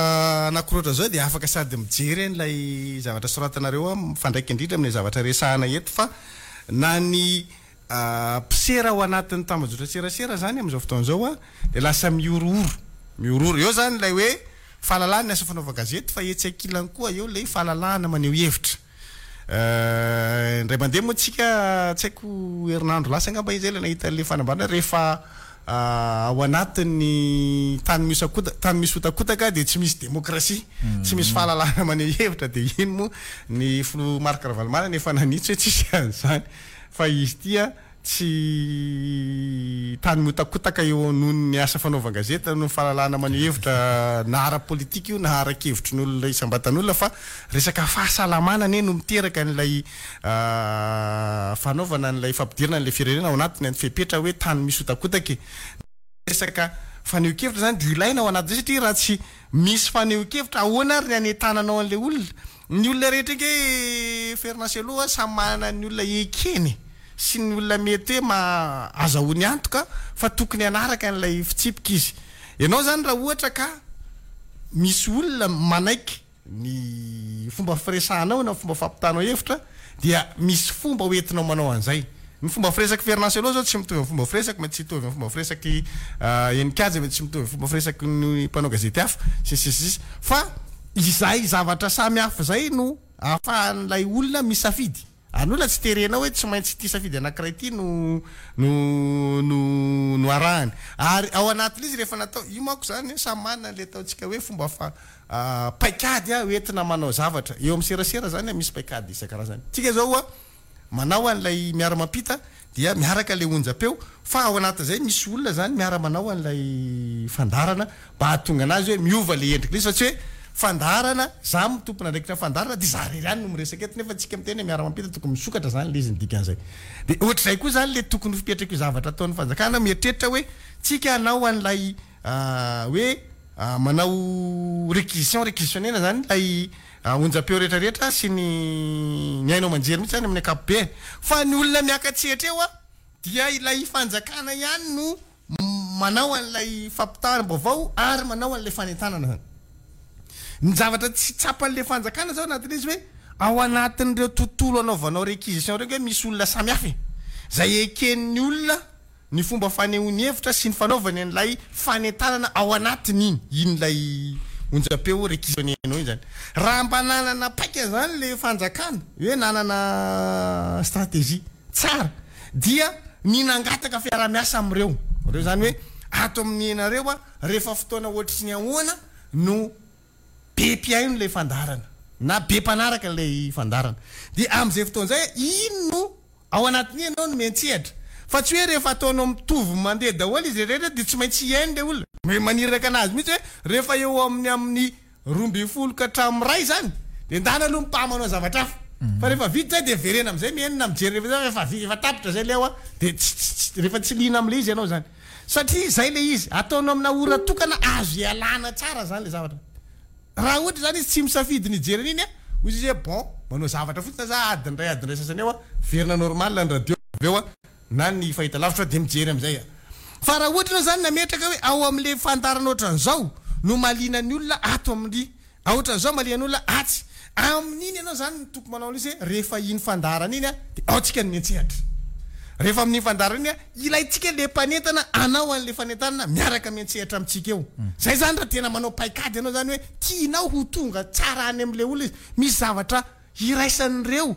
anankiroa ohatran'izao dia afaka sady mijery an'ilay zavatra soratanareo aho mifandraika indrindra amin'ilay zavatra resahana eto fa na ny mpisera ao anatin'ny tambajotran-tserasera izany amin'izao fotoana izao dia lasa mihorohoro, mihorohoro. Eo izany ilay hoe fahalalahana ny asa fanaovan-gazety fa etsy ankilany koa eo ilay fahalalahana maneho hevitra. Indray mandeha moa tsika, tsy haiko herinandro lasa angamba izy izay ilay nahita an'ilay fanambarana rehefa ao anatin'ny tany mihosakoda, tany misy hotakotaka dia tsy misy demokrasia, tsy misy fahalalahana maneho hevitra dia iny moa ny filoha Marc Ravalomanana efa nanitsy hoe tsisy an'izany. Fa izy ity a, tsy tany mihotakotaka eo noho ny asa fanaovan-gazety na noho ny fahalalahana maneho hevitra na ara-politika io na ara-kevitry ny olona isam-batan'olona fa resaka fahasalamana anie no miteraka an'ilay fanaovana an'ilay fampidirana an'ilay firenena ao anatiny ny fepetra hoe tany misy hotakotaka e. Resaka fanehoan-kevitra izany dia ilaina ao anatin'izay satria raha tsy misy fanehoan-kevitra ahoana ary ny hanentananao an'ilay olona? Ny olona rehetra ange Fernand Cello a samy manana ny olona ekeny sy ny olona mety hoe ma azahoany antoka fa tokony hanaraka an'ilay fitsipika izy. Ianao izany raha ohatra ka misy olona manaiky ny fomba firesahanao na fomba fampitanao hevitra dia misy fomba ho entinao manao an'izay. Ny fomba firesak'i Fernand Cello zao tsy mitovy amin'ny fomba firesako, mety tsy hitovy amin'ny fomba firesak'i Heninkaja, mety tsy mitovy amin'ny fomba firesaky ny mpanao gazety hafa, sy ny sisa sy ny sisa. Fa izay zavatra samy hafa izay no ahafahan'ilay olona misafidy. Ary ny olona tsy terenao hoe tsy maintsy ity safidy anankiray ity no no no no arahany. Ary ao anatin'izy rehefa natao, io manko izany samy manana an'ilay ataontsika hoe fomba fa paikady hoentina manao zavatra. Eo amin'ny serasera izany misy paikady isan-karazany. Tsika izao oa manao an'ilay miara-mampita dia miaraka ilay onjam-peo fa ao anatin'izay misy olona izany miara-manao an'ilay fandaharana mba hahatonga anazy hoe miova ilay endrik'ilay izy fa tsy hoe fandaharana, za no tompon'andraikitra ny fandaharana dia za irery ihany no miresaka eto nefa tsika miteny hoe miara-mampita tokony misokatra izany ilay izy ny dikan'izay. Dia ohatr'izay koa izany ilay tokony ho fipetraky io zavatra ataon'ny fanjakana mieritreritra hoe tsika hanao an'ilay hoe manao réquisition, réquisitionner-na izany ilay onjam-peo rehetra rehetra sy ny ny haino aman-jery mihitsy izany amin'ny ankapobeny. Fa ny olona miaka-tsehatra eo dia ilay fanjakana ihany no manao an'ilay fampitam-baovao ary manao an'ilay fanentanana izany. Ny zavatra tsy tsapan'ilay fanjakana izao anatin'izy hoe ao anatin'ireo tontolo anaovanao réquisition ireo ange misy olona samihafa e! Izay eken'ny olona ny fomba fanehoany hevitra sy ny fanaovany an'ilay fanentanana ao anatiny iny, iny ilay onjam-peo requisitionner-nao iny izany. Raha mba nanana paika izany ilay fanjakana, hoe nanana stratégie tsara, dia ny nangataka fiaraha-miasa amin'ireo, ireo izany hoe ato amin'ny nareo a, rehefa fotoana ohatry ny ahoana no be mpihaino ilay fandaharana, na be mpanaraka ilay fandaharana. Dia amin'izay fotoana izay, iny no Ao anatin'io ianao no miantsehatra. Fa tsy hoe rehefa ataonao mitovy mandeha daholo izy rehetra dia tsy maintsy hihaino ilay olona. Maniraka anazy mihitsy hoe rehefa eo amin'ny amin'ny 12 ka hatramin'ny iray izany dia ndana aloha mipà manao zavatra hafa. Fa rehefa vita izay dia verena amin'izay mihaino na mijery rehefa izay fa efa efa tapitra izay ilay ao dia tsy tsy tsy rehefa tsy liana amin'ilay izy ianao izany. Satria izay ilay izy. Ataonao amina ora tokana azo ialana tsara izany ilay zavatra. Raha ohatra izany izy tsy misafidy ny hijery an'iny an, hoy izy hoe bon, manao zavatra fotsiny za adiny iray adiny iray sasany eo an, miverina normal ny radio avy eo an, na ny fahitalavitra dia mijery amin'izay an. Fa raha ohatra ianao izany nametraka hoe ao amin'ilay fandaharana ohatran'izao no mahaliana ny olona ato amin'ny, ohatran'izao mahaliana ny olona atsy, Amin'iny ianao izany no tokony manao an'ilay izy hoe rehefa iny fandaharana iny dia ao tsika no miantsehatra. Rehefa amin'iny fandaharana iny ilaintsika ilay mpanentana hanao an'ilay fanentanana miaraka miantsehatra amintsika eo. Izay izany raha tena manao paikady ianao izany hoe tianao ho tonga tsara any amin'ilay olona izy. Misy zavatra iraisan'ireo.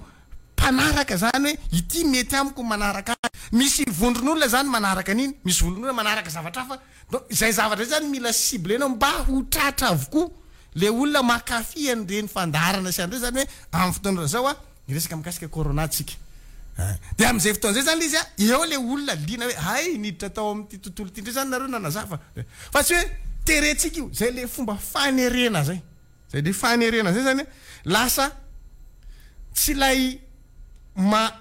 mpanaraka zany hoe ity mety amiko manaraka azy. Misy vondron'olona zany manaraka an'iny, misy vondron'olona manaraka zavatra hafa. Donc izay zavatra izay zany mila ciblena mba ho tratra avokoa le olona mankafy an'ireny fandaharana sy an'ireny zany hoe amin'ny fotoana ohatran'izao a, hiresaka mikasika corona tsika. Dia amin'izay fotoana izay zany le izy a, eo le olona liana hoe hay niditra tao amin'ity tontolo ity indray zany nareo nanazava. Fa tsy hoe terentsika io, zay le fomba fanerena zay. Zay le fanerena zay zany lasa tsy ilay maha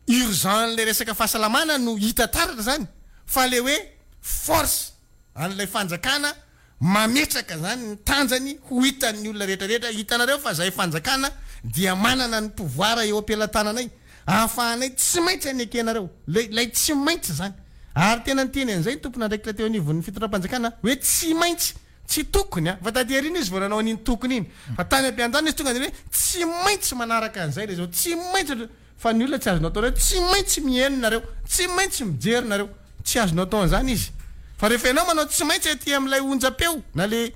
urgent an'ilay resaka fahasalamana no hita taratra zany fa le hoe force an'ilay fanjakana mametraka zany ny tanjany ho hitan'ny olona rehetra rehetra, hitanareo fa zahay fanjakana dia manana ny pouvoir eo am-pelatananay ahafahanay tsy maintsy anekenareo le ilay tsy maintsy zany ary tena niteny an'izay ny tompon'andraikitra teo anivon'ny fitondram-panjakana hoe tsy maintsy Tsy tokony a! Fa taty aoriana izy vao nanao an'iny tokony iny. Fa tany am-piandohana izy tonga dia hoe tsy maintsy manaraka an'izay ilay izao, tsy maintsy, fa ny olona tsy azonao atao hoe tsy maintsy mihaino nareo, tsy maintsy mijery nareo. Tsy azonao atao an'izany izy. Fa rehefa ianao manao tsy maintsy aty amin'ilay onjam-peo na ilay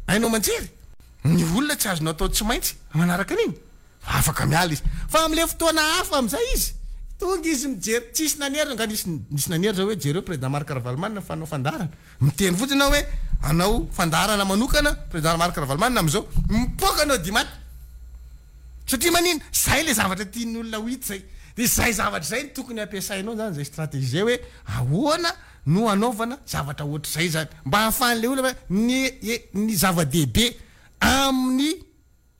haino aman-jery, ny olona tsy azonao atao tsy maintsy manaraka an'iny. Afaka miala izy. Fa amin'ilay fotoana hafa amin'izay izy, tonga izy mijery, tsisy nanery, angaha nisy nisy nanery zao hoe jereo Président Marc Ravalomanana fanao fandaharana. Miteny fotsiny aho hoe hanao fandaharana manokana Président Marc Ravalomanana amin'izao, mipoaka ny audimat. Satria manino? Zay ilay zavatra tian'ny olona ho hita zay. Dia izay zavatra izay no tokony hampiasainao zany, izay stratégie izay hoe ahoana no hanaovana zavatra ohatr'izay zany. Mba hahafahan'ilay olona hoe ny ny zava-dehibe amin'ny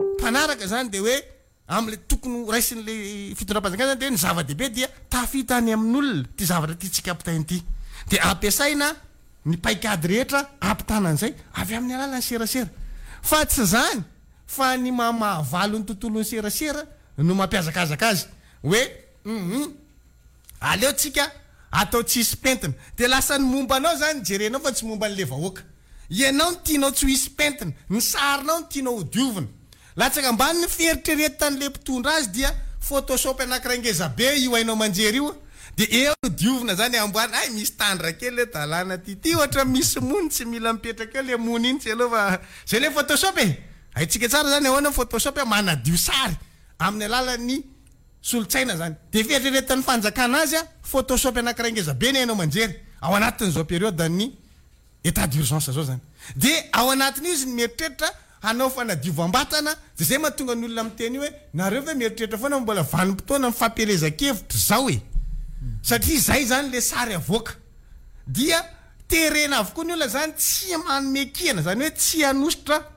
Mpanaraka izany dia hoe amin'ilay tokony ho raisin'ilay fitondram-panjakana izany dia hoe ny zava-dehibe dia tafita any amin'olona ity zavatra tiantsika ampitaina ity. Dia ampiasaina ny paikady rehetra hampitana an'izay avy amin'ny alalan'ny serasera. Fa tsy izany fa ny maha mahavalo ny tontolon'ny serasera no mampihazakazaka azy hoe hum aleo tsika atao tsisy pentina. Dia lasa ny momba anao izany jerenao fa tsy momba an'ilay vahoaka. Ianao no tianao tsy ho hisy pentina, ny sarinao no tianao ho diovina. Latsaka ambany ny fieritreretan'ilay mpitondra azy dia photoshop anakiray ngeza be io haino aman-jery io dia eo no diovina zany amboarina, hay misy tandra kely eto alana ty, ty ohatra misy mony tsy mila mipetraka eo le mony iny tsy aleo fa zay le photoshop e! Haintsika tsara zany ahoana ny photoshop manadio sary amin'ny alalan'ny solotsaina zany. Dia fieritreretan'ny fanjakana azy photoshop anakiray ngeza be ny haino aman-jery ao anatin'izao période ny Etat d'urgence zao zany. De ao anatin'io izy no mieritreritra hanao fanadiovam-batana, de zay mahatonga ny olona miteny io hoe nareo ve mieritreritra foana fa mbola vanim-potoana ny fampielezan-kevitra zao e! Satria zay zany le sary avoaka. Dia terena avokoa ny olona zany tsy manome kihana, zany hoe tsy hanosotra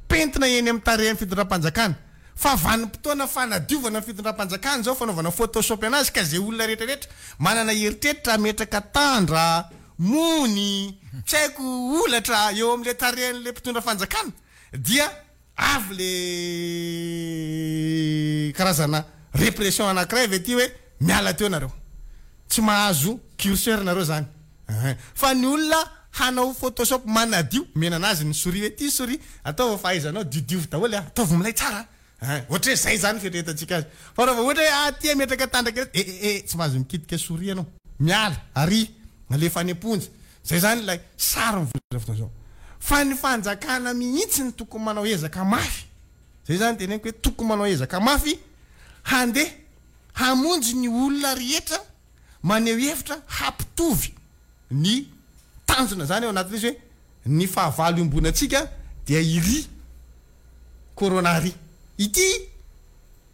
pentina eny amin'ny tarehin'ny fitondram-panjakana. Fa vanim-potoana fanadiovana ny fitondram-panjakana zao, fanaovana photoshop anazy ka zay olona rehetra rehetra manana eritreritra hametraka tandra, mony, tsy haiko holatra eo amin'ilay tarehin'ilay mpitondra fanjakana dia avy le karazana répression anankiray avy aty hoe miala teo nareo, tsy mahazo curseur nareo zany ein, fa ny olona hanao photoshop manadio, omena anazy ny souris hoe ty souris ataovy fahaizanao diodiovy daholo a, ataovy milay tsara a. Ein, ohatra hoe zay zany ny fieritreretantsika azy. Fa raha vao ohatra hoe aty hametraka tandraka eto, eh eh eh, tsy mahazo mikitika souris ianao. Miala, ary, alefa any am-ponja. Zay zany ilay sary mivoitra fotoana izao. Fa ny fanjakana mihitsy no tokony manao ezaka mafy. Zay zany teneniko hoe tokony manao ezaka mafy handeha hamonjy ny olona rehetra maneho hevitra hampitovy ny tanjona zany ao anatin'izy hoe ny fahavalo iombonantsika dia iry Corona ry. Ity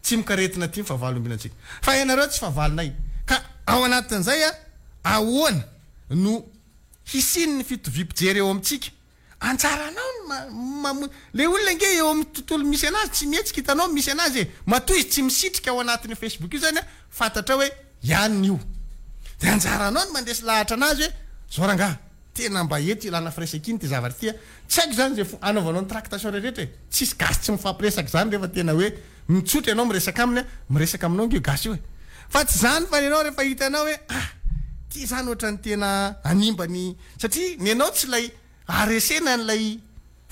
tsimokaretina ity ny fahavalo iombonantsika. Fa ianareo tsy fahavalonay. Ka ao anatin'izay ahoana no hisian'ny fitoviam-pijery eo amintsika? Anjaranao ny mamoy. Le olona ange eo amin'ny tontolo misy anazy tsy mihetsika hitanao misy anazy e. Matoa izy tsy misitrika ao anatin'io Facebook io zany fantatrao hoe ihany io. Dia anjaranao ny mandresy lahatra anazy hoe zao rangaha. Tena mba eto ilana firaisankina ity zavatra ity a! Tsy haiko izany izay anaovanao ny tractation rehetra e! Tsisy gasy tsy mifampiresaka izany rehefa tena hoe mitsotra ianao miresaka aminy a! Miresaka aminao ange io gasy io e! Fa tsy izany fa ianao rehefa hitanao hoe ah! Ity izany ohatran'ny tena hanimba ny satria ny anao tsy ilay haharesena an'ilay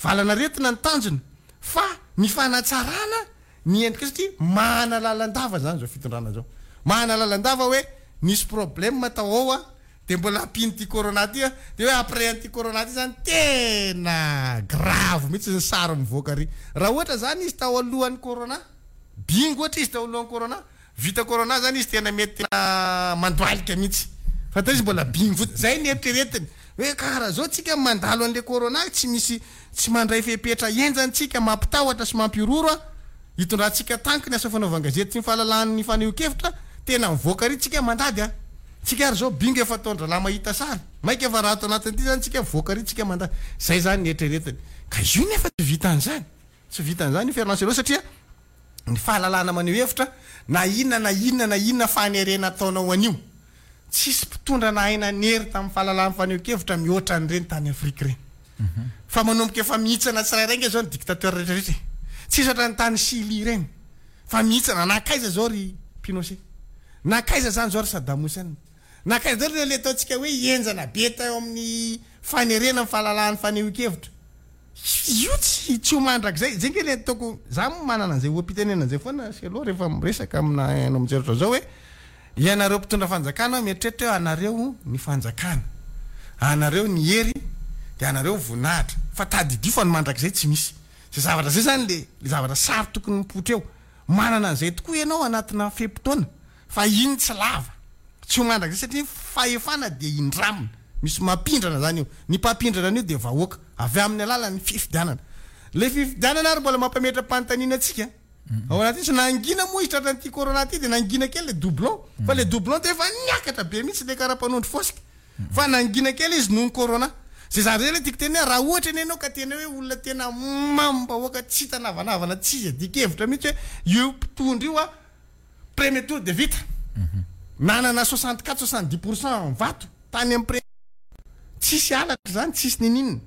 valan'aretina ny tanjona fa ny fanatsarana ny endrika satria mahana lalandava izany izao fitondrana izao. Mahana lalandava hoe nisy problème tao ao a! Dia mbola ampian'ity corona ty a, dia hoe après an'ity corona ty zany tena grave mihitsy ny sary mivoaka ary. Raha ohatra zany izy tao alohan'ny corona. Bingo ohatra izy tao alohan'ny corona, vita corona zany izy tena mety tena mandohalika mihitsy. Fa teo izy mbola bingo fotsiny. Zay ny eritreretiny. Hoe karaha zao tsika mandalo an'le corona tsy misy tsy mandray fepetra henjana tsika mampitahotra sy mampihorohoro an, hitondrantsika tanky ny asa fanaovan-gazety sy ny fahalalahan'ny fanehoan-kevitra, tena mivoaka ary tsika mandady an. Tsika ary zao bingo efa ataon-dralahy mahita sary. Maika fa raha ato anatin'ity zany tsika mivoaka ary tsika mandady. Zay zany ny eritreretiny. Ka io nefa tsy vitan'izany. Tsy vitan'izany io Fernand Cello satria ny fahalalahana maneho hevitra na inona na inona na inona fanerena ataonao an'io. Tsisy mpitondra nahay nanery tamin'ny fahalalahan'ny fanehoan-kevitra mihoatra an'ireny tany Afrika ireny. Fa manomboka efa mihitsana tsirairay ange izao ny dictateur rehetra rehetra e. Tsisy ohatran'ny tany Chili ireny fa mihitsana. Nankaiza izao ry Pinochet? Nankaiza izany izao ry Saddam Hussein? Nankaiza daholo ireo ilay ataontsika hoe henjana be teo amin'ny fanerena ny fahalalahan'ny fanehoan-kevitra? Io tsy tsy ho mandrakizay, zay nge le ataoko, za moa manana an'izay oham-pitenenana zay foana Selo rehefa miresaka amina haino aman-jery ohatran'izao hoe, ianareo mpitondra fanjakana mieritreritra hoe anareo ny fanjakana, anareo ny hery de anareo ny voninahitra, fa tadidio fa ny mandrakizay tsy misy. Zay zavatra zay zany le le zavatra sary tokony mipoitra eo, manana an'izay tokoa ianao anatina fe-potoana Fa iny tsy lava. Tsy ho mandrakizay satria ny fahefana dia indramina. Misy mampindrana zany io. Ny mpampindrana an'io dia vahoaka. Avy amin'ny alalan'ny fifidianana. Ilay fifidianana ary mbola mampametra-panontaniana antsika. Ao anatin'io tsy nangina moa izy tratran'ity corona ity dia nangina kely ilay doublon. Fa ilay doublon dia efa niakatra be mihitsy ilay kara-panondro fosika. Fa nangina kely izy noho ny corona. Izay zavatra izay ilay tiako tenenina, raha ohatra anie ianao ka tena hoe olona tena mamim-bahoaka tsy hita navanavana tsy iadian-kevitra mihitsy hoe io mpitondra io an, Premier tour dia vita. Nanana 64, 70 pour cent vato tany amin'ny premier tour. Tsisy halatra izany, tsisy niniana.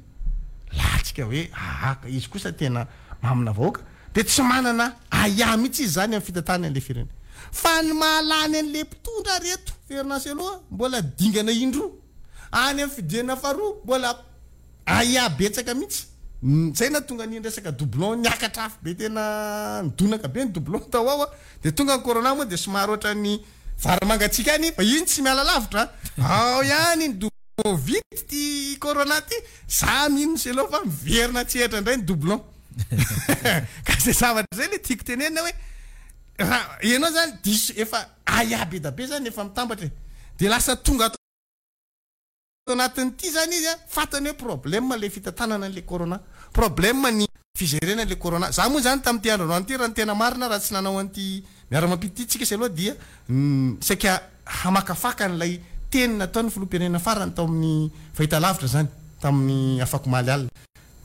Latsika hoe aa ka izy kosa tena mamina vahoaka. Dia tsy manana ahiahy mihitsy izy izany amin'ny fitantanany an'ilay firenena. Fa ny mahalany an'ilay mpitondra ry reto, Fernand Cello a, mbola dingana indroa. Any amin'ny fidirana faharoa mbola Ahiahy betsaka mihitsy. Zay nahatonga an'iny resaka doublon niakatra afo be tena nidonaka be ny doublon tao ao a. Dia tonga ny corona moa dia somary ohatran'ny vary mangatsiaka ihany fa iny tsy miala lavitra a. Ao ihany iny doublon vita ity corona ity, za mino Cello fa miverina an-tsehatra indray ny doublon. Ka zay zavatra zay le tiako tenenina hoe raha ianao zany diso efa ahiahy be da be zany efa mitambatra e. Dia lasa tonga ato Ato anatin'ity zany izy a, fantany hoe problème le fitantanana an'le corona, problème ny figerena an'le corona. Za moa zany tamin'ity andro androany ity raha ny tena marina raha tsy nanao an'ity miara-mampita ity tsika sy aloha dia saika hamakafaka an'ilay teny nataon'ny filoham-pirenena farany tao amin'ny fahitalavitra zany tamin'ny afakomaly alina.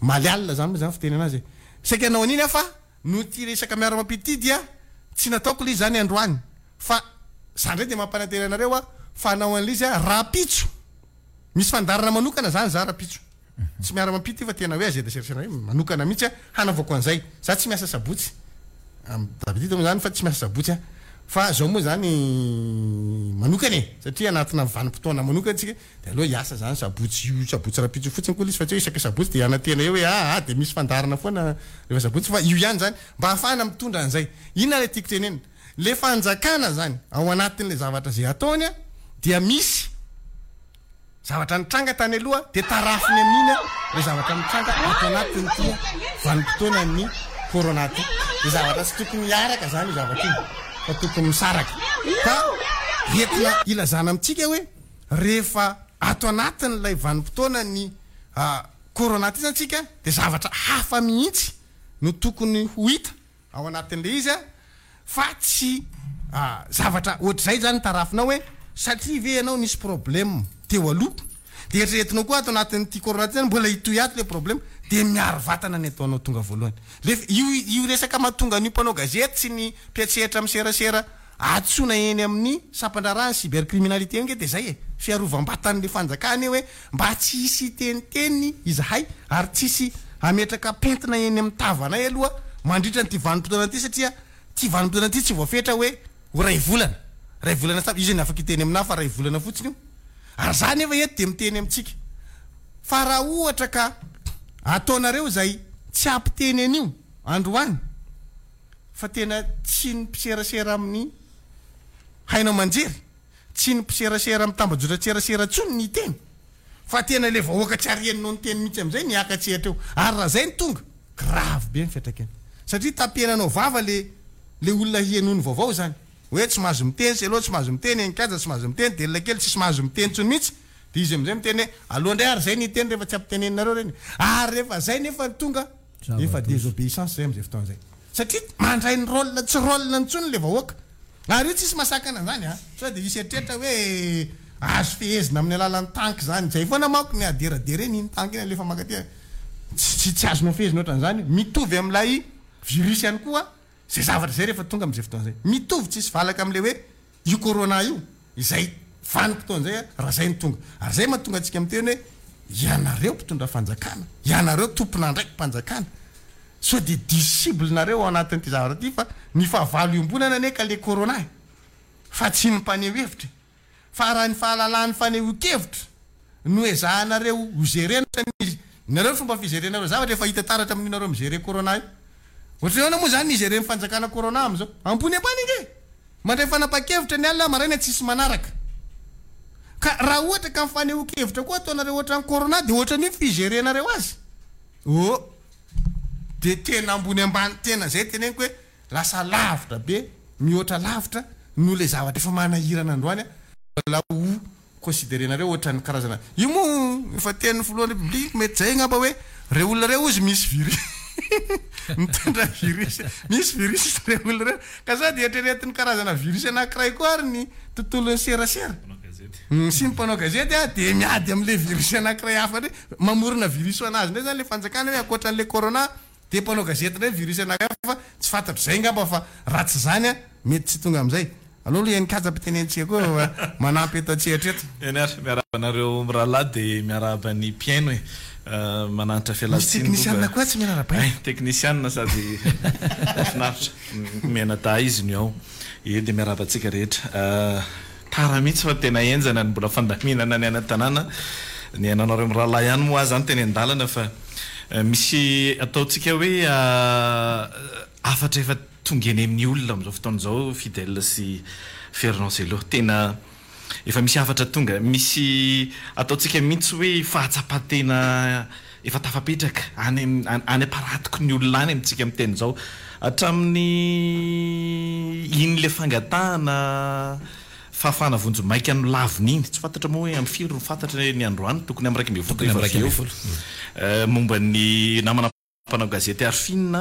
Omaly alina zany moa zany fiteny anazy e. Saika hanao an'iny aho fa noho ity resaka miara-mampita ity dia tsy nataoko ilay izy zany androany. Fa za ndray dia mampanantena anareo aho fa hanao an'ilay izy aho rahampitso. Misy fandaharana manokana zany za rahampitso. Tsy miara-mampita io fa tena hoe azeda serasera hoe manokana mihitsy aho hanaovako an'izay. Za tsy miasa sabotsy. D'habitude moa zany fa tsy miasa sabotsy aho. Fa zao moa zany manokana e. Satria anatina vanim-potoana manokana tsika dia aleo hiasa zany sabotsy io sabotsy rahampitso io fotsiny koa ilay izy fa tsy hoe isaka sabotsy dia hanantena eo hoe aa dia misy fandaharana foana rehefa sabotsy fa io ihany zany mba hahafahana mitondra an'izay. Inona ilay tiako tenenina? Le fanjakana zany ao anatin'le zavatra zay ataony a dia misy zavatra nitranga tany aloha dia tarafiny amin'iny a le zavatra mitranga ato anatin'ity vanim-potoanan'ny corona ty. Le zavatra tsy tokony hiaraka zany io zavatra io fa tokony misaraka. Ka entina ilazana amintsika hoe rehefa ato anatin'ilay vanim-potoanan'ny corona ty zany tsika dia zavatra hafa mihitsy no tokony ho hita ao anatin'ilay izy fa tsy zavatra ohatr'izay zany tarafinao hoe satria ve ianao nisy problème teo aloha dia eritreretinao koa ato anatin'ity corona ity zany mbola hitohy ato ilay problème dia miaro vatana ny ataonao tonga voalohany. Le io io resaka mahatonga an'io mpanao gazety sy ny mpiantsehatra amin'ny serasera antsoina eny amin'ny sampan-draharahan'ny cybercriminalité io ange dia izay e, fiarovam-batan'ilay fanjakana io hoe Mba tsy hisy hiteniteny izahay ary tsy hisy hametraka pentina eny amin'ny tavanay aloha mandritra an'ity vanim-potoana ity satria ity vanim-potoana ity tsy voafetra hoe ho iray volana. Iray volana sy tapany, iza no afaka hiteny aminà fa iray volana fotsiny io? Ary za nefa eto dia miteny amintsika fa raha ohatra ka ataonareo izay tsy hampiteny an'io androany fa tena tsy ny mpiserasera amin'ny haino aman-jery, Tsy ny mpiserasera amin'ny tambajotran-tserasera intsony ny hiteny fa tena ilay vahoaka tsy ary henonao niteny mihitsy amin'izay ny hiaka-tsehatra eo. Ary raha izay no tonga, grave be ny fiantraikany. Satria tapenanao vava le. Le olona hihenoany vaovao izany. Hoe tsy mahazo miteny Selo, tsy mahazo miteny Enkaja, tsy mahazo miteny Delina kely, tsisy mahazo miteny intsony mihitsy. Dia izy amin'izay miteny hoe aleo indray ary izay ny hiteny rehefa tsy ampiteneninareo ireny. Ary rehefa izay nefa no tonga, efa désobéissance izay amin'izay fotoana izay. Satria mandray ny rôle tsy rôle-ny intsony ilay vahoaka. Ary io tsisy mahasakana an'izany an! Sao dia hisy eritreritra hoe azo fehezina amin'ny alalan'ny tanky izany. Izay foana manko ny aderaderena iny tanky iny alefa mankaty. Tsy tsy azonao fehezina ohatran'izany. Mitovy amin'ilay virus ihany koa izay zavatra izay rehefa tonga amin'izay fotoana izay. Mitovy tsisy valaka amin'ilay hoe io corona io izay vanim-potoana izay raha izay no tonga. Ary izay mahatonga antsika miteny hoe ianareo mpitondra fanjakana, ianareo tompon'andraiki-panjakana, sao dia diso cible nareo ao anatin'ity zavatra ity fa ny fahavalo iombonana anie ka le corona e! Fa tsy ny mpaneho hevitra e! Fa raha ny fahalalahan'ny fanehoan-kevitra no ezahanareo ho gerena ohatran'ny nareo ny fomba figerenareo zavatra efa hita taratra amin'io nareo mi-gerer corona io. Ohatran'ny ahoana moa izany ny higeren'ny fanjakana corona amin'izao? Ambony ambany ange e! Mandray fanapahan-kevitra ny alina maraina tsisy manaraka. Ka raha ohatra ka ny fanehoan-kevitra koa ataonareo ohatran'ny corona dia ohatran'io ny figerenareo azy. Oh! Dia tena ambony ambany tena izay teneniko hoe lasa lavitra be, mihoatra lavitra noho ilay zavatra efa manahirana androany an, mbola ho considerer-nareo ohatran'ny karazana, io moa efa tenin'ny filohan'ny République mety izay angamba hoe reo olona reo ozy misy virus mitondra virus, misy virus reo olona reo, ka sao dia eritreretin'ny karazana virus anankiray koa ary ny tontolon'ny serasera sy ny mpanao gazety an, dia miady amin'ilay virus anankiray hafa indray, mamorona virus ho an'azy indray izany ilay fanjakana hoe ankoatran'ilay corona Dia mpanao gazety indray virus anankiray hafa fa tsy fantatro izay angamba fa raha tsy izany an, mety tsy tonga amin'izay. Aleo aloha eny kaja ampitenenitsika koa fa manampy eto an-tsehatra eto. Eny ary, miarahaba anareo mirahalahy dia miarahaba ny mpihaino e. Mananitra Misy fialantsiny aloha teknisianina koa tsy mila arahabaina. Hay, teknisianina sady mahafinaritra. Mianadahy izy no ao. Ie dia miarahaba antsika rehetra. Tara mihitsy fa tena henjana ny mbola fandaminana ny any an-tanàna. Nihaino anareo mirahalahy ihany moa aho izany teny an-dalana fa misy ataontsika hoe hafatra efa tonga eny amin'ny olona amin'izao fotoana izao Fidèle sy Fernand Cello. Tena efa misy hafatra tonga, misy ataontsika mihitsy hoe fahatsapan-tena Efa tafapetraka any any am-paratoky ny olona any amintsika miteny izao. Hatramin'ny iny ilay fangatahana fahafahana vonjimaika nolavina iny. Tsy fantatra moa hoe amin'ny firy no fantatra ny androany, tokony amin'ny 11 rehefa avy eo. Momba ny namana mpanao gazety Arfin,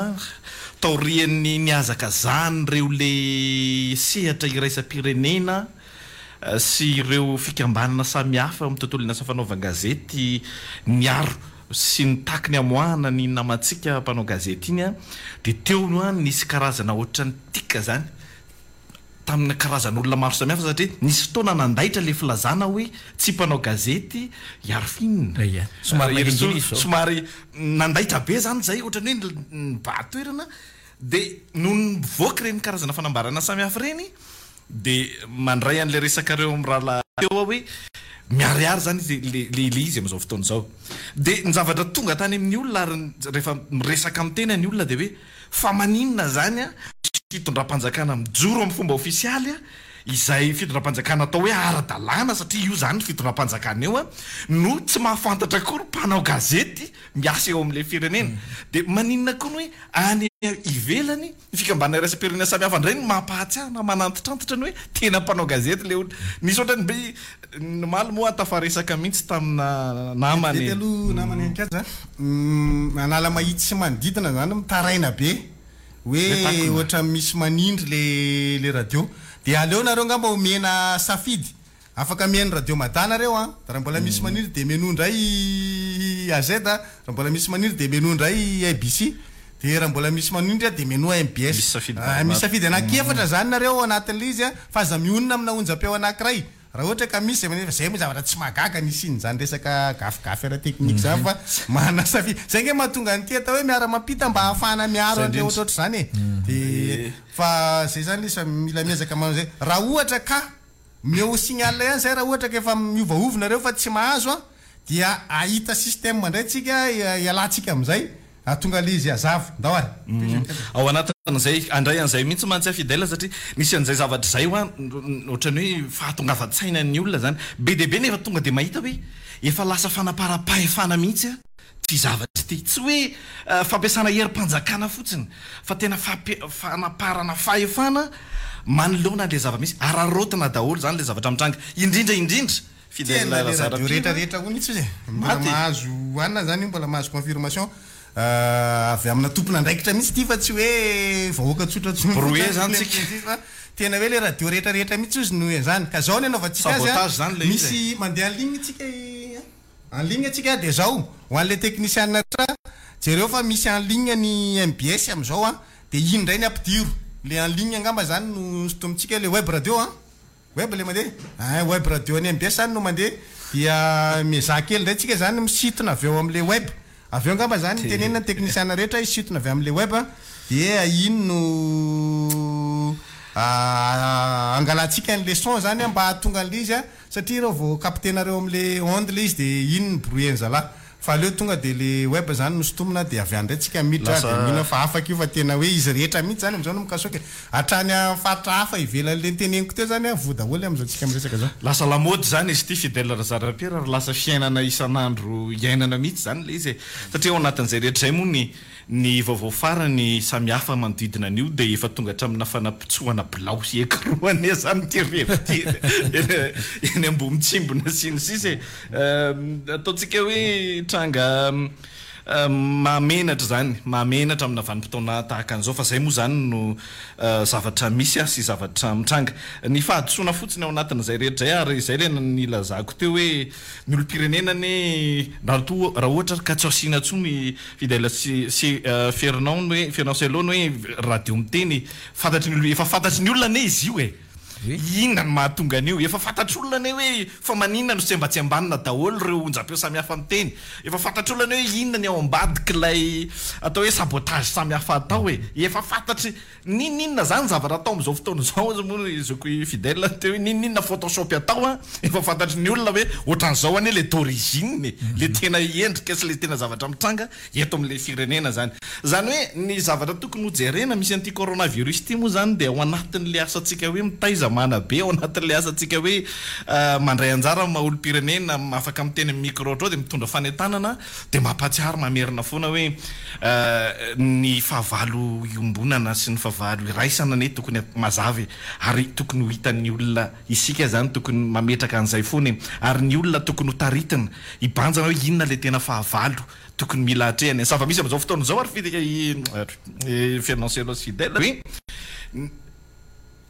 taorian'ny nihazakazahan'ireo le sehatra iraisam-pirenena sy ireo fikambanana samihafa eo amin'ny tontolon'ny asa fanaovan-gazety niaro sy nitaky ny hamoahana ny namantsika mpanao gazety iny dia teo no nisy karazana ohatran'ny tic izany tamina karazan'olona maro samihafa satria nisy fotoana nandaitra ilay filazana hoe tsy mpanao gazety i Arfin. Ia. Somary nangingina izy izao. Somary nandaitra be izany izay ohatran'ny hoe nibahan-toerana dia nony nivoaka ireny karazana fanambarana samihafa ireny dia mandray an'ilay resakareo amin'ny rahalahy teo aho hoe miharihary izany izy ilay izy amin'izao fotoana izao. Dia ny zavatra tonga tany amin'ny olona ary rehefa miresaka amin'ny tena ny olona dia hoe Fa maninona izany misy fitondram-panjakana mijoro amin'ny fomba ofisialy izay fitondram-panjakana atao hoe ara-dalàna satria io izany fitondram-panjakana io no tsy mahafantatra akory mpanao gazety miasa eo amin'ilay firenena. Dia maninona koa ny hoe any ivelany ny fikambanana iraisam-pirenena samihafa indray no mampahatsiahy na manantitrantitra ny hoe tena mpanao gazety ilay olona. Nisy ohatran'ny be Ny omaly moa tafaresaka mihitsy tamina namana e. Vetivety aloha namana ihany kaja. Analamahitsy sy manodidina zany mitaraina be hoe ohatran'ny misy manindry le le radio. Dia aleo nareo angamba omena safidy. Afaka mihaino radio Mada nareo an. Raha mbola misy manindry dia menoa indray AZ, raha mbola misy manindry dia menoa indray ABC. Dia raha mbola misy manindry dia menoa MBS. Misy safidy maromaro. Misy safidy anankiefatra zany nareo ao anatin'ilay izy an, fa aza mionona amina onjam-peo anankiray. Raha ohatra ka misy zay manefa, zay moa zavatra tsy mahagaga ny hisian'izany resaka gafigafy ara-teknika izany fa manana safidy. Zay ange mahatonga an'ity atao hoe miara-mampita mba hahafahana miaro an'ilay ohatrohatr'izany e. Dia fa zay zany ilay izy fa mila miezaka manao izay. Raha ohatra ka omeo signal ihany zay raha ohatra ka efa miovaova nareo fa tsy mahazo an, Dia hahita système indray tsika hialantsika amin'izay hahatonga ilay izy hazava. Ndao ary. Ao anatin'izay, handray an'izay mihitsy mantsy aho Fidèle satria misy an'izay zavatra izay hoa ohatran'ny hoe fahatongavan-tsainan'ny olona izany. Be dia be nefa tonga dia mahita hoe efa lasa fanaparam-pahefana mihitsy. Ity zavatra ity. Tsy hoe fampiasana herim-panjakana fotsiny fa tena fanaparana fahefana manoloana an'ilay zava-misy. Araraotina daholo izany ilay zavatra mitranga. Indrindra indrindra, Fidèle Tena le radio Razarapiana. rehetra rehetra hono izy e. Mbola Maty e. mahazo hanina zany io, mbola mahazo confirmation avy amina tompon'andraikitra mihitsy ity fa tsy hoe vahoaka tsotra tsotra Brouillé fotsiny zany le tsika. miteny fa tena hoe le radio rehetra rehetra mihitsy ozy no izany. Ka zao ny anaovantsika azy a, Sabotage zany le izy e. misy mandeha en ligne tsika i En ligne tsika dia zao, ho an'ilay technician rehetra, jereo fa misy en ligne ny mbs amin'izao an, dia iny indray ny ampidiro, le en ligne angamba zany no sintomintsika, le web radio an, web le mandeha, ein web radio an'ny mbs zany no mandeha, dia miezaha kely indray tsika zany misintona avy ao amin'le web, avy eo angamba zany tenenina ny technician rehetra hisintona avy amin'le web dia iny no angalantsika ny leçon zany an mba hahatonga an'le izy an. Satria reo vao capter-nareo amle onde le izy de iny ny brouiller-ny zalahy. Fa aleo tonga de le web zany no sintomina de avy any ndray tsika miditra de Lasa. mino aho fa afaka io fa tena hoe izy rehetra mihitsy zany amzao no mikasoka e. Hatrany am faritra hafa ivelan'le niteneniko teo zany voa daholo amzao tsika miresaka zao. Lasa lamaody zany izy ity Fidèle Razarapiera ary lasa fiainana isan'andro iainana mihitsy zany le izy e. Satria ao anatin'izay rehetra izay moa ny Ny vaovao farany samihafa manodidina an'io dia efa tonga hatraminà fanapitsohana bilao sy écrou anie izany ity revy ity eny Ambohimitsimbina sy ny sisa e! Ataontsika hoe tranga mahamenatra izany, mahamenatra amina vanim-potoana tahaka an'izao fa izay moa izany no zavatra misy sy zavatra mitranga. Ny fahadisoana fotsiny ao anatin'izay rehetra izay ary izay ilay nilazako teo hoe ny olom-pirenena anie raha toa raha ohatra ary ka tsy asiana intsony Fidèle sy sy Fernand ny hoe Fernand Cello ny hoe radio miteny fantatry ny olona efa fantatry ny olona anie izy io e! Inona no mahatonga an'io? Efa fantatr'olona anie hoe fa maninona no sembatsembanina daholo ireo onjam-peo samihafa miteny? Efa fantatr'olona anie hoe inona ny ao ambadik'ilay atao hoe sabotage samihafa atao e! Efa fantatry N'inon'inona zany zavatra atao amin'izao fotoana izao hozy moa i zoky Fidèle teo hoe n'inon'inona photoshop atao an, efa fantatry ny olona hoe ohatran'izao anie le d'origine e, le tena endrika sy le tena zavatra mitranga eto amin'ilay firenena zany. Zany hoe ny zavatra tokony ho jerena misy an'ity coronavirus ity moa zany dia ao anatin'ilay asantsika hoe mitaiza manabe, ao anatin'ilay asantsika hoe mandray anjara amin'ny maha olom-pirenena, afaka miteny amin'ny micro ohatr'izao dia mitondra fanentanana Dia mampahatsiaro mamerina foana hoe ny fahavalo iombonana sy ny fahavalo iraisana anie tokony mazava e! Ary tokony ho hitan'ny olona isika izany tokony mametraka an'izay foana e! Ary ny olona tokony ho taritina hibanjina hoe inona ilay tena fahavalo tokony mila atrehana e! Ny zava-misy amin'izao fotoana izao ary Fernand Cellos Fidèle hoe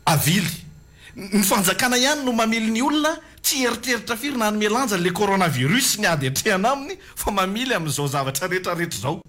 Avily. Ny fanjakana ihany no mamily ny olona tsy hieritreritra firy na hanome lanja an'ilay coronavirus sy ny ady atrehana aminy fa mamily amin'izao zavatra rehetra rehetra izao.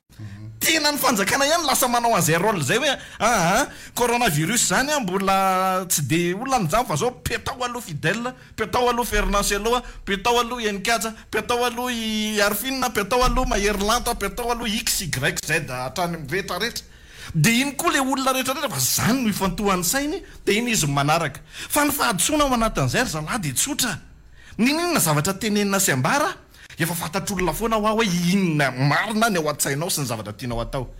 Tena ny fanjakana ihany lasa manao an'izay role izay hoe aa coronavirus izany an mbola tsy dia olana izany fa zao petao aloha Fidèle, petao aloha Fernand Cello, petao aloha Heninkaja, petao aloha i Arifin, petao aloha Mahery Lanto, petao aloha X, Y, Z hatrany amin'ny rehetra rehetra. Dia iny koa ilay olona rehetra rehetra fa izany no ifantohan'ny sainy dia iny izy no manaraka. Fa ny fahadisoana ao anatin'izay ry zalahy dia tsotra. N'inon'inona zavatra tenenina sy ambara, efa fantatr'olona foana hoa hoe inona marina ny ao an-tsainao sy ny zavatra tianao atao.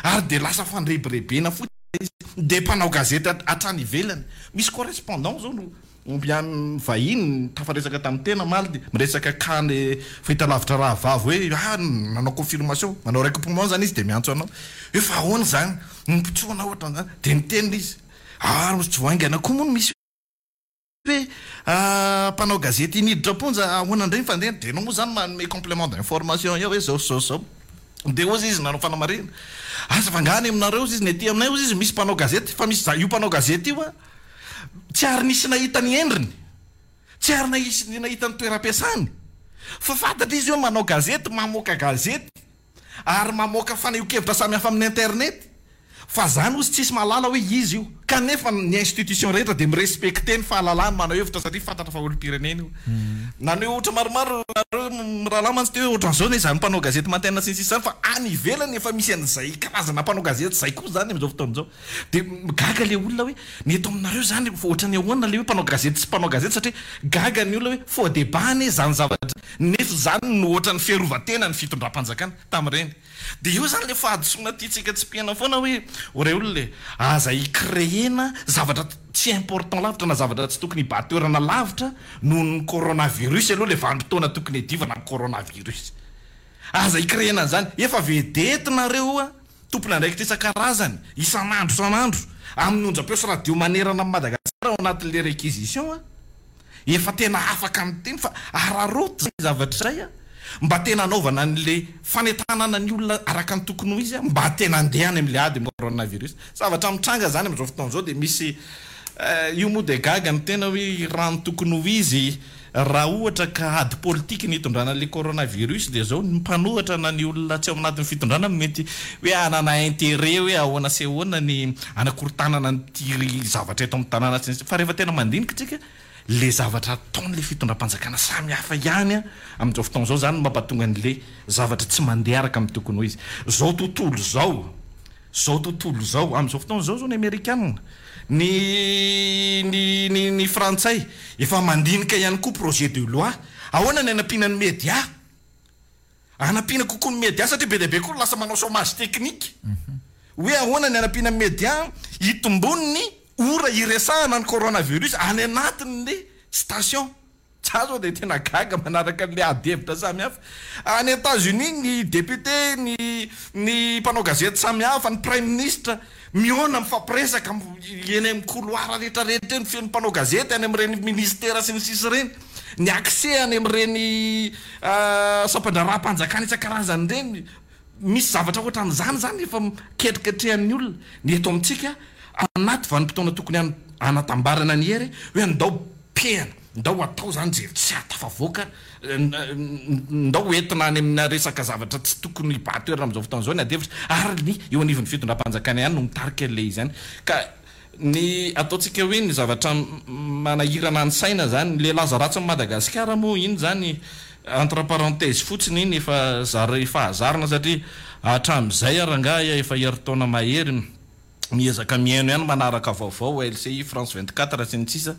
Ary dia lasa fandrebirebena fotsiny ilay izy. Dia mpanao gazety hatrany ivelany. Misy correspondant izao no Omby any vahiny tafaresaka tamin'ny tena omaly dia miresaka cas le fahitalavitra rahavavy hoe ah nanao confirmation, manao recoupement zany izy dia miantso anao hoe fa ahoana izany ny mpitsoana ohatran'izany dia niteny izy ah tsy vao haingana koa moa no misy hoe mpanao gazety niditra am-ponja ahoana indray ny fandehany dia ianao moa izany manome complément d'information eo hoe zao sy zao sy zao dia hozy izy nanao fanamarihana aza fa angaha any aminareo hozy izy ny aty aminay hozy izy misy mpanao gazety fa misy io mpanao gazety io ah Tsy ary nisy nahita ny endriny, tsy ary nahisy nahita ny toeram-piasany, fa fantatra izy hoe manao gazety, mamoaka gazety, ary mamoaka fanehoan-kevitra samihafa amin'ny internet, fa zany hozy tsisy mahalala hoe iza io, kanefa ny institution rehetra dia mi-respecter ny fahalalahany manao hevitra satria fantatra fa olom-pirenena io. Naneho ohatra maromaro nareo mirahalahy mantsy teo hoe ohatran'izao anie izany mpanao gazety matin sy ny sisa izany fa any ivelany efa misy an'izay karazana mpanao gazety izay koa izany amin'izao fotoana izao. Dia gaga ilay olona hoe ny eto aminareo izany ohatran'ny ahoana ilay hoe mpanao gazety sy mpanao gazety satria gaga ny olona hoe faux débat anie izany zavatra nefa izany no ohatran'ny fiarovan-tena ny fitondram-panjakana tamin'ireny. Dia eo izany ilay fahadisoana tiantsika tsipihana foana hoe o rey olona e, aza i-créer-na zavatra tsy important lavitra na zavatra tsy tokony hibahan-toerana lavitra noho ny coronavirus aloha ilay vanim-potoana tokony hiadivana amin'ny coronavirus. Aza i-créer-na an'izany. Efa vedette nareo a, tompon'andraikitra isan-karazany, isan'andro isan'andro, amin'ny onjam-peo sy radio manerana an'i Madagasikara ao anatin'ilay réquisition a. Efa tena afaka miteny fa araraoty izay zavatra izay a, mba tena anaovana an'ilay fanentanana ny olona araka ny tokony ho izy a, mba tena andeha any amin'ilay ady amin'ny coronavirus. Zavatra mitranga izany amin'izao fotoana izao dia misy io moa dia gaga ny tena hoe raha ny tokony ho izy raha ohatra ka ady politika ny hitondrana an'ilay coronavirus dia izao ny mpanohatra na ny olona tsy ao anatin'ny fitondrana no mety hoe hanana intérêt hoe ahoana sy ahoana ny hanakorontanana an'ity zavatra eto amin'ny tanàna sy ny sisa fa rehefa tena mandinika isika le zavatra ataon'ilay fitondram-panjakana samy hafa ihany amin'izao fotoana izao izany no mampatonga an'ilay zavatra tsy mandeha araka ny tokony ho izy. Izao tontolo izao. Zao tontolo izao, amin'izao fotoana izao zao ny amerikana, ny ny ny ny frantsay efa mandinika ihany koa projet de loi, ahoana ny hanampiana ny media, hanampiana kokoa ny media satria be dia be koa ny lasa manao chômage technique, hoe ahoana ny hanampiana ny media hitombon'ny ora hiresahana ny coronavirus any anatin'ny station. Za zao dia tena gaga manaraka an'ilay ady hevitra samihafa. Any Etats Unis ny député, ny ny mpanao gazety samihafa, ny praiminisitra mihaona mifampiresaka eny amin'ny couloir rehetra rehetra eny feno mpanao gazety any amin'ireny ministera sy ny sisa ireny. Ny accès any amin'ireny sampandraharaham-panjakana isan-karazany ireny. Misy zavatra ohatran'izany izany efa ketriketrehan'ny olona. Ny eto amintsika anaty vanim-potoana tokony hanatambarana ny hery hoe andao pehana, ndao atao izany izay tsy hahatafavoaka, ndao entina any amina resaka zavatra tsy tokony hibahan-toerana amin'izao fotoana izao ny adihevitra ary ny eo anivon'ny fitondram-panjakana ihany no mitarika an'ilay izy any. Ka ny ataontsika hoe ny zavatra manahirana ny saina izany, ilay laza ratsin'i Madagasikara moa iny izany entre parenthèse fotsiny iny efa zary fahazarana satria hatramin'izay ary angaha efa herintaona mahery miezaka mihaino ihany manaraka vaovao LCI, France 24 sy ny sisa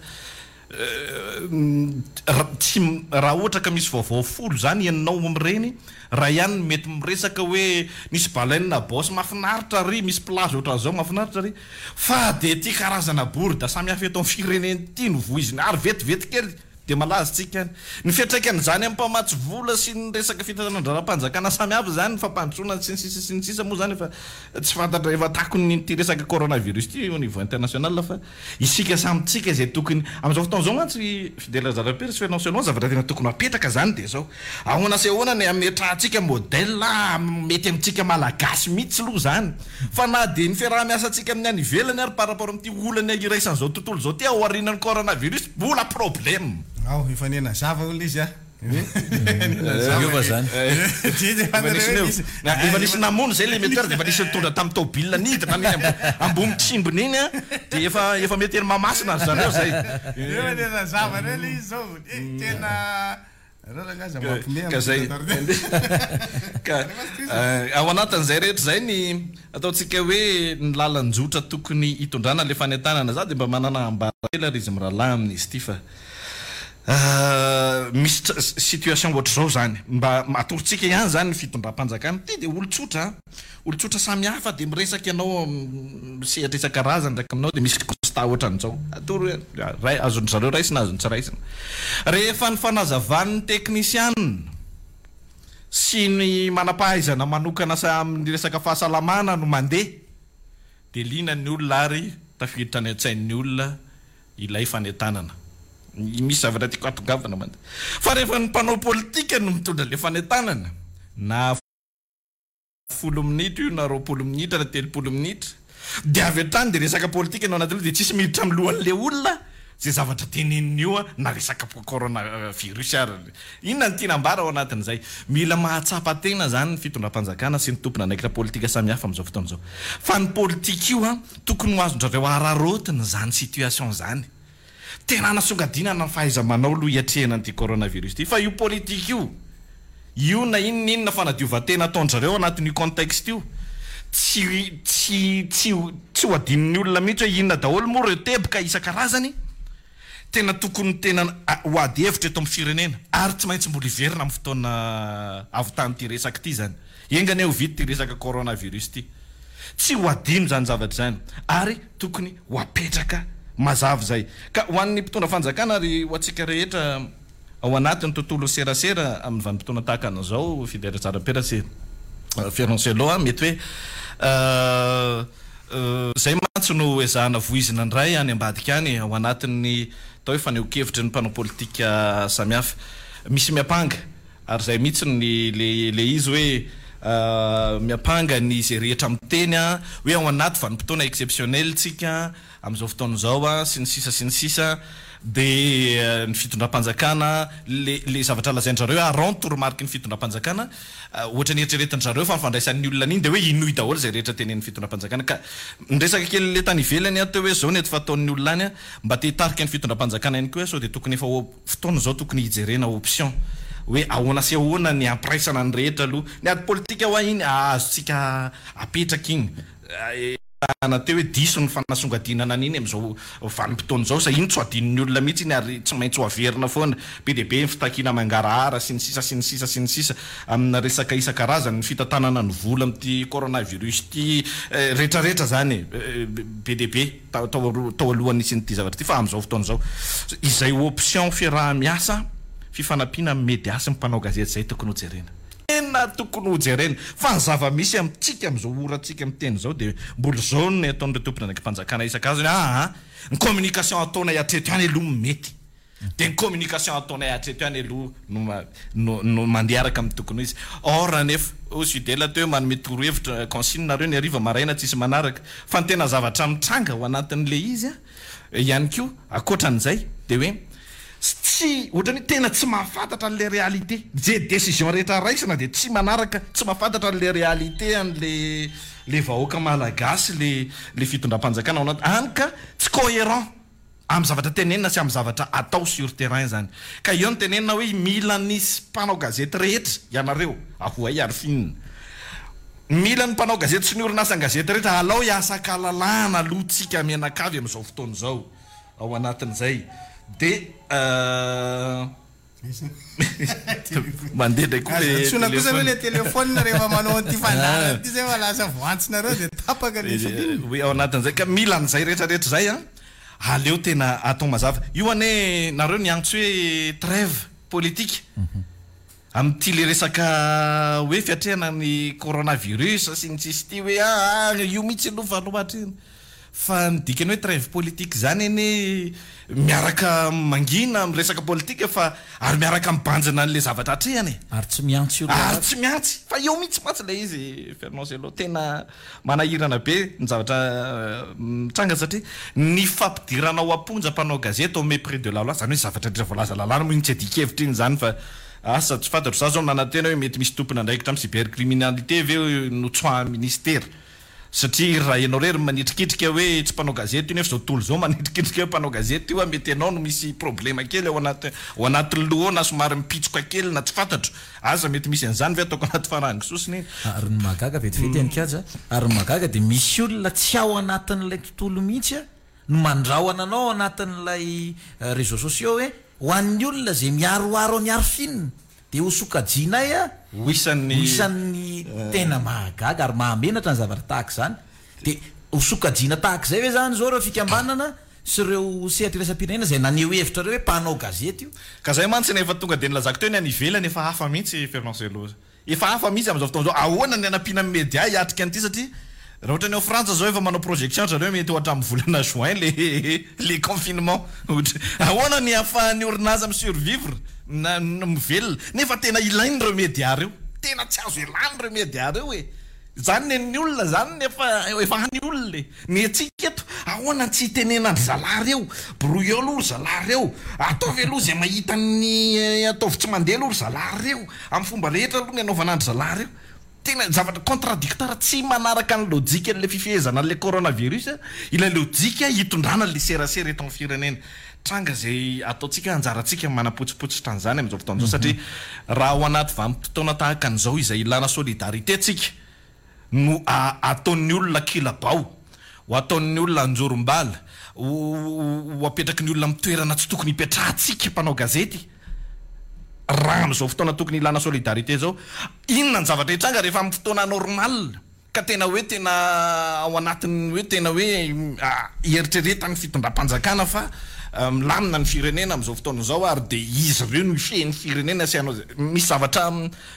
Tsy raha ohatra ka misy vaovao folo zany henonao amin'ireny, ray ihany no mety miresaka hoe nisy baleine à bosse mahafinaritra ary, misy plage ohatran'izao mahafinaritra ary, fa dia ity karazana bourde samihafa eto amin'ny firenena ity no voizina ary vetivety kely dia malaza tsika any. Ny fiantraikan'izany amin'ny mpamatsy vola sy ny resaka fitantanan-draharaham-panjakana samihafa izany, ny fampandrosoana sy ny sisa sy ny sisa moa izany efa tsy fantatra, efa takon'ity resaka coronavirus ity au niveau international fa isika samy tsika izay tokony, amin'izao fotoana izao mantsy Fidèle Razanapiera sy Fernand Selon, zavatra tena tokony ho apetraka izany dia izao, ahoana sy ahoana ny hametrahantsika modèle mety amintsika Malagasy mihitsy aloha izany fa na dia ny fiaraha-miasantsika amin'ny any ivelany ary par rapport amin'ity olana iraisan'izao tontolo izao ity aorianan'ny coronavirus mbola problème. Ao, efa niha-nazava hono ilay izy a. Niova zany. Efa nisy namono zay le metteur dia efa nisy nitondra tamin'ny tôbila nidina iny ambony tsimbony iny a, dia efa efa mety eny Mahamasina ry zareo zay. Efa niha-nazava indray ilay izy zao. Eh, tena Ka zay. Ka ao anatin'izay rehetra izay ny ataontsika hoe ny lalan-jotra tokony hitondrana ilay fanentanana. Za dia mba manana ambara kely ary izy mirahalahy amin'izy ity fa misy situation ohatr'izao izany. Mba atorontsika ihany izany ny fitondram-panjakana. Ity dia olon-tsotra an! Olon-tsotra samihafa dia miresaka ianao amin'ny sehatra isan-karazany miaraka aminao dia misy constat ohatran'izao. Atoro hoe ray, azon-dry zareo raisina, azony tsy raisina. Rehefa ny fanazavan'ny teknisiana sy ny manam-pahaizana manokana amin'ny resaka fahasalamana no mandeha dia liana ny olona ary tafiditra any an-tsain'ny olona ilay fanentanana. Misy zavatra tiako hatongavana mantsy. Fa rehefa ny mpanao politika no mitondra ilay fanentanana na. Folo minitra io na 20 minitra na 30 minitra dia avy hatrany dia resaka politika no anatin'io dia tsisy miditra amin'ny lohan'ilay olona izay zavatra teneniny io na resaka corona virus ary. Inona no tiana ambara ao anatin'izay? Mila mahatsapa tena izany ny fitondram-panjakana sy ny tompon'andraikitra politika samihafa amin'izao fotoana izao fa ny politika io tokony ho azon-dRareo araraotina izany situation izany. Tena hanasongadinana ny fahaiza-manao aloha hiatrehana an'ity coronavirus ity fa io politika io, io na inona inona fanadiovan-tena ataon-dry zareo anatin'io contexte io, tsy tsy tsy tsy ho adinon'ny olona mihitsy hoe inona daholo moa ireo teboka isan-karazany tena tokony tena ho ady hevitra eto amin'ny firenena ary tsy maintsy mbola hiverina amin'ny fotoana havitan'ity resaka ity izany. Enga anie ho vita ity resaka coronavirus ity. Tsy ho adino izany zavatra izany ary tokony ho apetraka mazava izay. Ka ho an'ny mpitondra fanjakana ary ho antsika rehetra. Ao anatin'ny tontolon'ny serasera amin'ny vanim-potoana tahaka an'izao, Fidèle Rajaropera sy Ferron-Cello a, mety hoe izay mantsy no ezahana voizina indray any ambadika any ao anatin'ny atao hoe fanehoan-kevitry ny mpanao politika samihafa. Misy miampanga, ary izay mihitsy ny le izy hoe miampanga ny izay rehetra miteny hoe ao anaty vanim-potoana exceptionnel tsika, amin'izao fotoana izao a, sy ny sisa sy ny sisa, dia ny fitondram-panjakana, le le zavatra lazain-dry zareo hoe araho ny toromariky ny fitondram-panjakana, ohatra ny eritreretin-dry zareo fa ny fandraisan'ny olona an'iny dia hoe inoy daholo izay rehetra tenenin'ny fitondram-panjakana, ka niresaka kely le tany ivelany aho teo hoe izao ny eto fataon'ny olona any a, mba te hitarika ny fitondram-panjakana ihany koa aho sao dia tokony efa fotoana izao tokony hijerena option hoe ahoana sy ahoana ny hampiraisana ny rehetra aloha, ny ady politika hoa iny azontsika apetraka iny. Resahana teo hoe diso ny fanasongadinana an'iny amin'izao vanim-potoana izao, izay iny tsy ho adinon'ny olona mihitsy iny ary tsy maintsy ho averina foana. Be dia be ny fitakiana mangarahara sy ny sisa sy ny sisa sy ny sisa amina resaka isan-karazany, ny fitantanana ny vola amin'ity coronavirus ity, rehetrarehetra izany e. Be dia be tao tao alohan'ny nisian'ity zavatra ity fa amin'izao fotoana izao izay option fiaraha-miasa, fifanampiana amin'ny media sy ny mpanao gazety izay tokony hojerena. Tena tokony ho jerena. Fa ny zava-misy amintsika amin'izao orantsika miteny izao dia mbola izao ny ataon'ireo tompon'andraiki-panjakana isan-karazany hoe aa ny communication ataonay hatreto ihany aloha no mety. Dia ny communication ataonay hatreto ihany aloha no no no mandeha araka amin'ny tokony ho izy. Or anefa, hoy Fidèle teo hoe manome torohevitra, consigne nareo ny hariva, maraina tsisy manaraka. Fa ny tena zavatra mitranga ao anatin'ilay izy an, ihany koa, ankoatran'izay, dia hoe tsy, ohatran'ny hoe tena tsy mahafantatra an'ilay réalité. Ze décision rehetra raisina dia tsy manaraka, tsy mahafantatra an'ilay réalité an'ilay le vahoaka malagasy le le fitondram-panjakana ao anaty, hany ka tsy cohérent amin'ny zavatra tenenina sy amin'ny zavatra atao sur terrain zany. Ka eo no tenenina hoe mila ny mpanao gazety rehetra ianareo, ahoay ary finina. Mila ny mpanao gazety sy ny orinasan-gazety rehetra alao hiasa an-kalalahana aloha tsika mianakavy amin'izao fotoana izao. Ao anatin'izay dia mandeha indray koa le Aza antsoina kosa aloha téléphone. le téléphone rehefa manao an'ity fandaharana ity zay fa lasa voantsonareo dia tapaka le fil. Hoe ao anatin'izay ka mila an'izay rehetra rehetra izay an, aleo tena atao mazava. Io anie nareo niantso hoe trêve politique. Amin'ity le resaka hoe fiatrehana ny coronavirus sy ny sisa ity hoe aa io mihitsy aloha fa aloha atrehina. Fa ny dikany hoe trêve politique izany anie miaraka mangina amin'ny resaka politika fa ary miaraka mibanjina an'ilay zavatra atrehana e. Ary tsy mihantsy olona Ary tsy mihantsy. Fa eo mihitsy mantsy ilay izy Fernand Cello. Tena manahirana be ny zavatra mitranga satria ny fampidirana ao am-ponja mpanao gazety au mépris de la loi, izany hoe zavatra rehetra voalaza lalàna moa iny tsy adin-kevitra iny izany fa asa tsy fantatro, za zao nanantena hoe mety misy tompon'andraikitra amin'ny cybercriminalité ve notsoahan'ny ministera satria raha ianao irery no manitrikitrika hoe tsy mpanao gazety io nefa izao tontolo izao manitrikitrika hoe mpanao gazety io mety ianao no misy problema kely ao anaty ao anatin'ny loha ao na somary mipitsoka kely na tsy fantatro Aza mety misy an'izany ve ataoko anaty farango sosony e? Ary ny mahagaga vetivety any Kaja, ary ny mahagaga dia misy olona tsy ao anatin'ilay tontolo mihitsy no mandrahona anao ao anatin'ilay réseaux sociaux hoe ho an'ny olona izay miharoharo an'i Arfin dia ho sokajianay Ho isan'ny. ho isan'ny tena mahagaga ary mahamenatra ny zavatra tahaka izany. Dia ho sokajiana tahaka izay ve izany izao ireo fikambanana sy ireo sehatra iraisam-pirenena izay naneho hevitra ireo hoe mpanao gazety io? Ka zay mantsy no efa tonga dia nilazako teo ny any ivelany efa hafa mihitsy Fernand Cello. Efa hafa mihitsy amin'izao fotoana izao. Ahoana ny hanampiana ny media hiatrika an'ity satria raha ohatra ny ao Frantsa izao efa manao projection ry zareo mety ho hatramin'ny volana juin le le confinement. Ohatra ahoana ny ahafahan'ny orinasa mi-survivre na mivelona nefa tena ilaina ireo media ireo. Tena tsy azo ialana ireo media ireo e. Zany nen'ny olona zany ny efa efa any olona e! Ny antsika eto ahoana tsy hitenenan-dry zalahy reo? Brouilleo aloha ry zalahy reo, ataovy aloha izay mahita ny ataovy tsy mandeha aloha ry zalahy reo, amin'ny fomba rehetra aloha ny anaovana an-dry zalahy reo. Tena zavatra contradictoire tsy manaraka ny lojikan'ilay fifehezana an'ilay coronavirus ilay lojika hitondrana ilay serasera eto amin'ny firenena. Tranga izay ataontsika anjarantsika ny manapotsipotsitra an'izany amin'izao fotoana izao satria raha ao anaty vanim-potoana tahaka an'izao izay ilana solidarité tsika no ataon'ny olona kilabao, ho ataon'ny olona anjorom-bala, ho apetraky ny olona amin'ny toerana tsy tokony hipetrahantsika mpanao gazety raha amin'izao fotoana tokony ilana solidarité izao. Inona ny zavatra hitranga rehefa amin'ny fotoana normal? Ka tena hoe tena ao anatin'ny hoe tena hoe ieritreretan'ny fitondram-panjakana fa. milamina ny firenena amin'izao fotoana izao ary dia izy ireo no hifehy ny firenena sy hanao izay, misy zavatra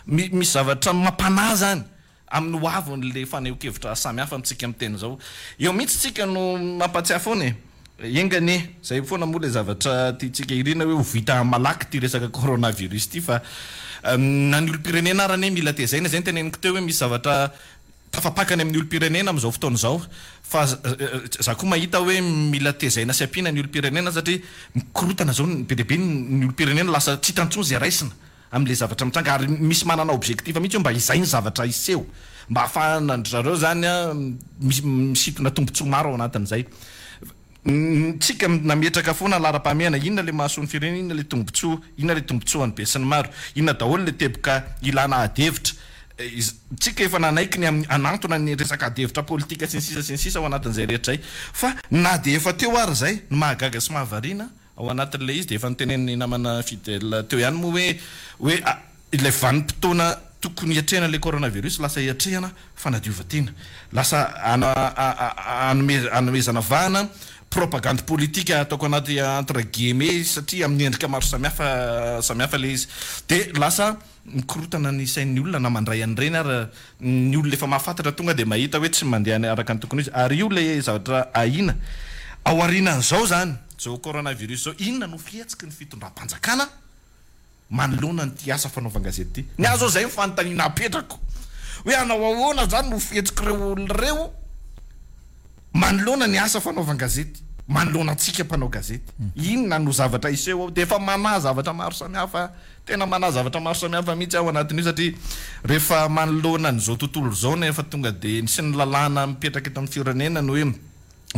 misy zavatra mampanahy izany amin'ny ho avin'ilay fanehoan-kevitra samihafa amintsika miteny izao. Eo mihitsy tsika no mampatsiahy foana e! Enga anie, izay foana moa ilay zavatra tiantsika irina hoe ho vita malaky ity resaka coronavirus ity fa na ny olom-pirenena ara anie mila tezaina, izay no teneniko teo hoe misy zavatra tafapaka any amin'ny olom-pirenena amin'izao fotoana izao fa za koa mahita hoe mila tezaina sy ampiana ny olom-pirenena satria mikorotana izao be dia be ny olom-pirenena lasa tsy hita intsony izay raisina amin'ilay zavatra mitranga ary misy manana objectif mihitsy hoe mba izay ny zavatra hiseho mba ahafahanan-dry zareo izany misintona tombontsoa maro ao anatin'izay. Tsika nametraka foana laharam-pahamehana, inona ilay mahasoa ny firenena, inona ilay tombontsoa, inona ilay tombontsoan'ny besinimaro, inona daholo ilay teboka ilana ady hevitra. Tsika efa nanaiky ny amin'ny hanantona ny resaka ady hevitra politika sy ny sisa sy ny sisa ao anatin'izay rehetra izay. Fa na dia efa teo ary izay, ny mahagaga sy mahavariana, Ao anatin'ilay izy dia efa notenenin'ny namana Fidèle teo ihany moa hoe hoe ilay vanim-potoana tokony hiatrehana ilay coronavirus lasa hiatrehana fanadiovan-tena. Lasa hanomezana vahana propagandy politika ataoko anaty entre guillemets satria amin'ny endrika maro samihafa samihafa ilay izy. Dia lasa Mikorotana ny sain'ny olona na mandray an'ireny ary ny olona efa mahafantatra tonga dia mahita hoe tsy mandeha araka ny tokony ho izy. Ary io ilay zavatra ahiana. Ao aorianan'izao izany, izao coronavirus izao, inona no fihetsiky ny fitondram-panjakana manoloana an'ity asa fanaovan-gazety ity? Ny ahy izao izay ny fanontaniana apetrako. Hoe hanao ahoana izany no fihetsik'ireo olona ireo manoloana ny asa fanaovan-gazety, manoloana antsika mpanao gazety? Inona no zavatra hiseho ao? Dia efa manahy zavatra maro samihafa. Tena manahy zavatra maro samihafa mihitsy aho anatin'io satria rehefa manoloana an'izao tontolo izao nefa tonga dia ny sy ny lalàna mipetraka eto amin'ny firenena ny hoe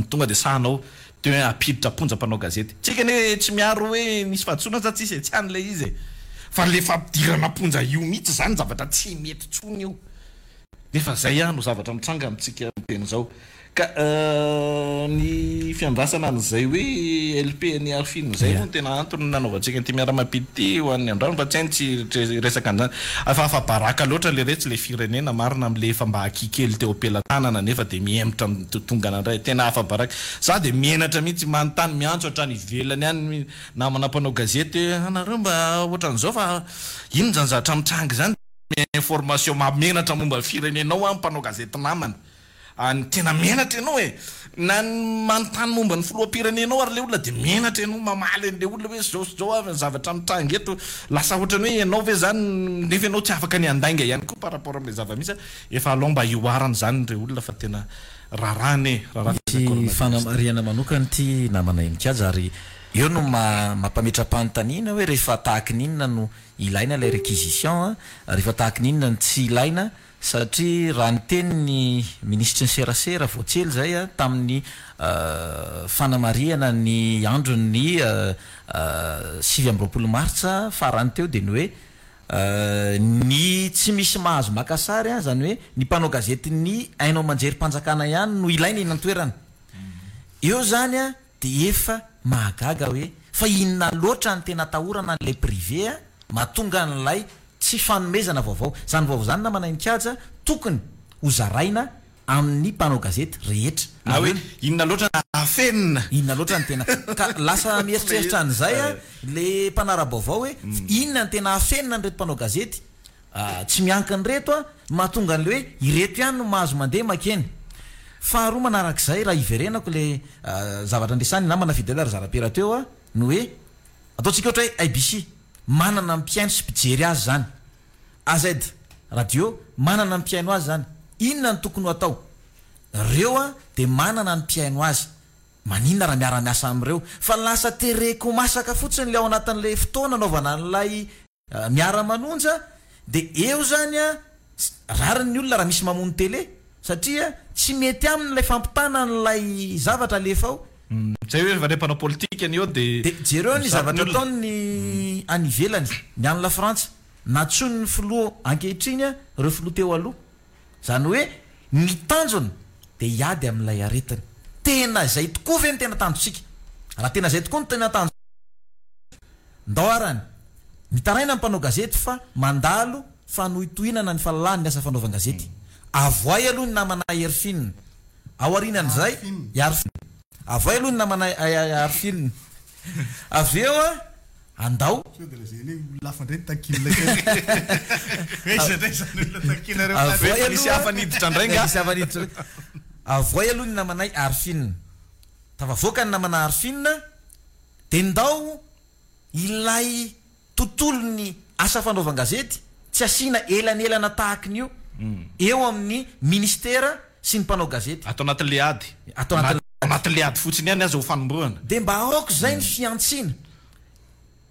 tonga dia sahanao dia hoe hampiditra am-ponja mpanao gazety. Tsika anie tsy miaro hoe nisy fahadisoana sa tsisy e, tsy any ilay izy e. Fa ilay fampidirana am-ponja io mihitsy izany zavatra tsy mety intsony io. Nefa zay no zavatra mitranga amintsika miteny zao. Ka ny fiandrasana an'izay hoe LP an'i Arfin izay moa no tena antony nanaovantsika an'ity miara-mampita ity ho an'ny androany fa tsy hay ny tsy hiresaka an'izany. Fa afa-baraka loatra leretsy ilay firenena marina amin'ilay efa mba aky kely teo am-pelatanana nefa dia mihemotra mitotongana indray. Tena afa-baraka. Za dia menatra mihitsy manontany miantso hatrany ivelany any namana mpanao gazety hoe anareo mba ohatran'izao fa inona izany zavatra mitranga izany? Information mahamenatra momba ny firenenao an mpanao gazety namana an tena menatra ianao e! Na ny manontany momba ny filoham-pirenenao ary le olona dia menatra ianao mamaly an'le olona hoe zao sy zao avy ny zavatra mitranga eto, lasa ohatran'ny hoe ianao ve zany nefa ianao tsy afaka ny handainga ihany koa par rapport amin'ilay zava-misy an, efa alao mba hihoarana izany re olona fa tena raharaha anie, raharaha Misy coronavirus ity. fanamarihana manokana ity namana Heninkaja ary eo no mampametra-panontaniana hoe rehefa tahaky ny inona no Ilaina ilay réquisition a, rehefa tahaky ny inona no tsy ilaina satria raha niteny ny minisitry ny serasera vao tsy ela izay tamin'ny fanamarihana ny andron'ny 29 martsa farany teo dia ny hoe ny tsy misy mahazo maka sary izany hoe ny mpanao gazetin'ny haino aman-jerim-panjakana ihany no ilaina eny an-toerana. Eo izany a, Dia efa mahagaga hoe fa inona loatra ny tena atahorana an'ilay privé a, mahatonga an'ilay tsy fanomezana vaovao. Izany vaovao izany namana Heninkaja tokony ho zaraina amin'ny mpanao gazety rehetra. Na hoe inona loatra no afenina. Inona loatra no tena, ka lasa mieritreritra an'izay a le mpanara-baovao hoe inona no tena afenina an'ireto mpanao gazety. Tsy miankina ireto a, no mahatonga an'ilay hoe ireto ihany no mahazo mandeha makeny. Faharoa manarak'izay, raha hiverenako ilay zavatra niresahan'ny namana Fidèle Razarapera teo a, ny hoe ataontsika ohatra hoe ABC, manana mpihaino sy mpijery azy izany. AZ radio, manana ny mpihaino azy izany. Inona no tokony ho atao? Ireo a dia manana ny mpihaino azy. Maninona raha miara-miasa amin'ireo? Fa lasa tereko masaka fotsiny ilay ao anatin'ilay fotoana anaovana an'ilay Miara manonja de eo zany a rariny ny olona raha misy mamono télé satria tsy mety aminy ilay fampitana an'ilay zavatra alefa ao. Zay hoe rehefa le mpanao politika ny eo de De jereo ny mizara ny zavatra olona. ataony any ivelany, ny any Lafrantsa, nantsoin'ny filoha ankehitriny ireo filoha teo aloha. Zany hoe ny tanjona de hiady amin'ilay aretina. Tena izay tokoa ve no tena tanjontsika? Raha tena izay tokoa no tena tanjontsika, Ndao arany. Mitaraina ny mpanao gazety fa mandalo fanohitohinana ny fahalalahan'ny asa fanaovan-gazety. Avoay aloha ny namana Herfine. Aorianan'izay, Arfine. Avoay aloha ny namana Arfine. Avy eo a, andao. Sao dia lazainy hoe olona hafa indray no takian'ilay Hoe iza indray izany olona takianareo Avoay Efa nisy aloha. hafa niditra indray nga. Nisy hafa niditra indray. Avoay aloha ny namanay Arfine. Tafavoaka ny namana Arfine dia ndao ilay tontolon'ny asa fanaovan-gazety tsy asiana elanelana tahakin'io eo amin'ny ministera sy ny mpanao gazety. Ato anatin'ilay ady. Ato anatin'ilay ady. Anatin'ilay ady fotsiny ihany aza ho fanombohana. Dia mba aoka izay ny fihantsiana.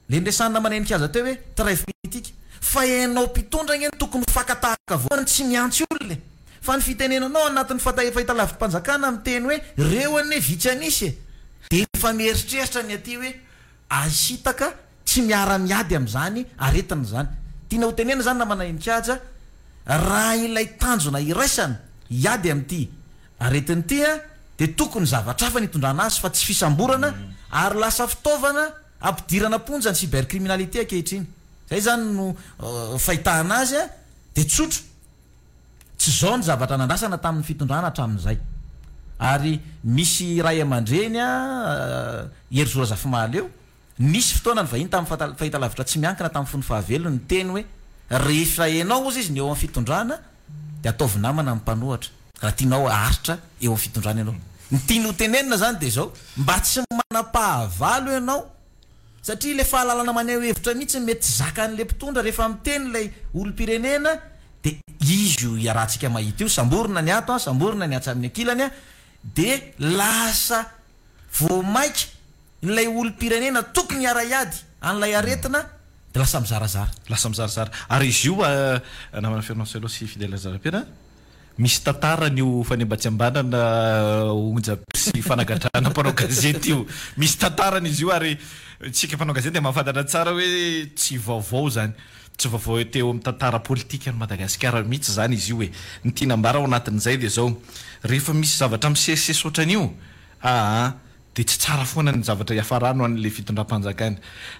Ilay niresahan'ny namana Heninkaza teo hoe trêve politique. Fa ianao mpitondra ange no tokony ho faka-tahaka voalohany tsy mihantsy olona e. Fa ny fitenenanao anatin'ny fahitalavim-panjakana miteny hoe reo anie vitsy an'isa e. Dia efa mieritreritra ny aty hoe ahisitaka tsy miara-miady amin'izany aretina izany. Tiana ho tenenina izany namana Heninkaja, raha ilay tanjona iraisana hiady amin'ity aretina ity dia tokony zavatra hafa ny hitondrana azy fa tsy fisamborana ary lasa fitaovana ampidirana am-ponja ny cybercriminalité ankehitriny. Izay izany no fahitana azy dia tsotra. Tsy izao ny zavatra nandrasana tamin'ny fitondrana hatramin'izay. Ary misy ray aman-dreny Herizo Razafimahaleo, nisy fotoana nivahiny tamin'ny fahitalavitra tsy miankina tamin'ny fony fahavelony niteny hoe rehefa ianao hozy izy ny eo amin'ny fitondrana dia ataovy namana ny mpanohatra raha tianao haharitra eo amin'ny fitondrana ianao. Ny tiany ho tenenina izany dia izao, mba tsy manam-pahavalo ianao satria ilay fahalalana maneho hevitra mihitsy mety tsy zakan'ilay mpitondra rehefa miteny ilay olom-pirenena dia izy io iarahantsika mahita io, samborina ny ato an, samborina ny atsy amin'ny ankilany an, dia lasa vao maika ilay olom-pirenena tokony hiara-hiady an'ilay aretina dia lasa mizarazara. Lasa mizarazara. Ary izy io namana Fernand Cello sy Fidèle Razarapera, misy tantarany io fanembatsembanana onjam-peo sy fanagadrana mpanao gazety io. Misy tantarany izy io ary isika mpanao gazety dia mahafantatra tsara hoe tsy vaovao izany. Tsy vaovao teo amin'ny tantara politikan'i Madagasikara mihitsy izany izy io e. Ny tiana ambara ao anatin'izay dia izao, rehefa misy zavatra misesisesy ohatran'io, aa dia tsy tsara foana ny zavatra hiafarany ho an'ilay fitondram-panjakana.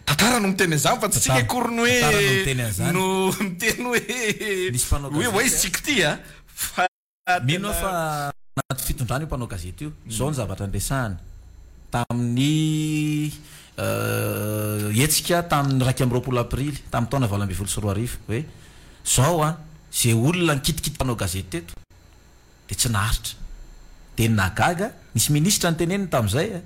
Tantara no miteny an'izany fa tsy tsika akory no hoe no miteny hoe hoe ho aiza tsika ity a! Fa Mino aho fa anaty fitondrana io mpanao gazety io. Izao ny zavatra niresahany tamin'ny hetsika tamin'ny 21 aprily tamin'ny taona 2018 hoe izao an, izay olona nikitikity mpanao gazety teto dia tsy naharitra. Dia ny nahagaga, nisy minisitra niteneniny tamin'izay a,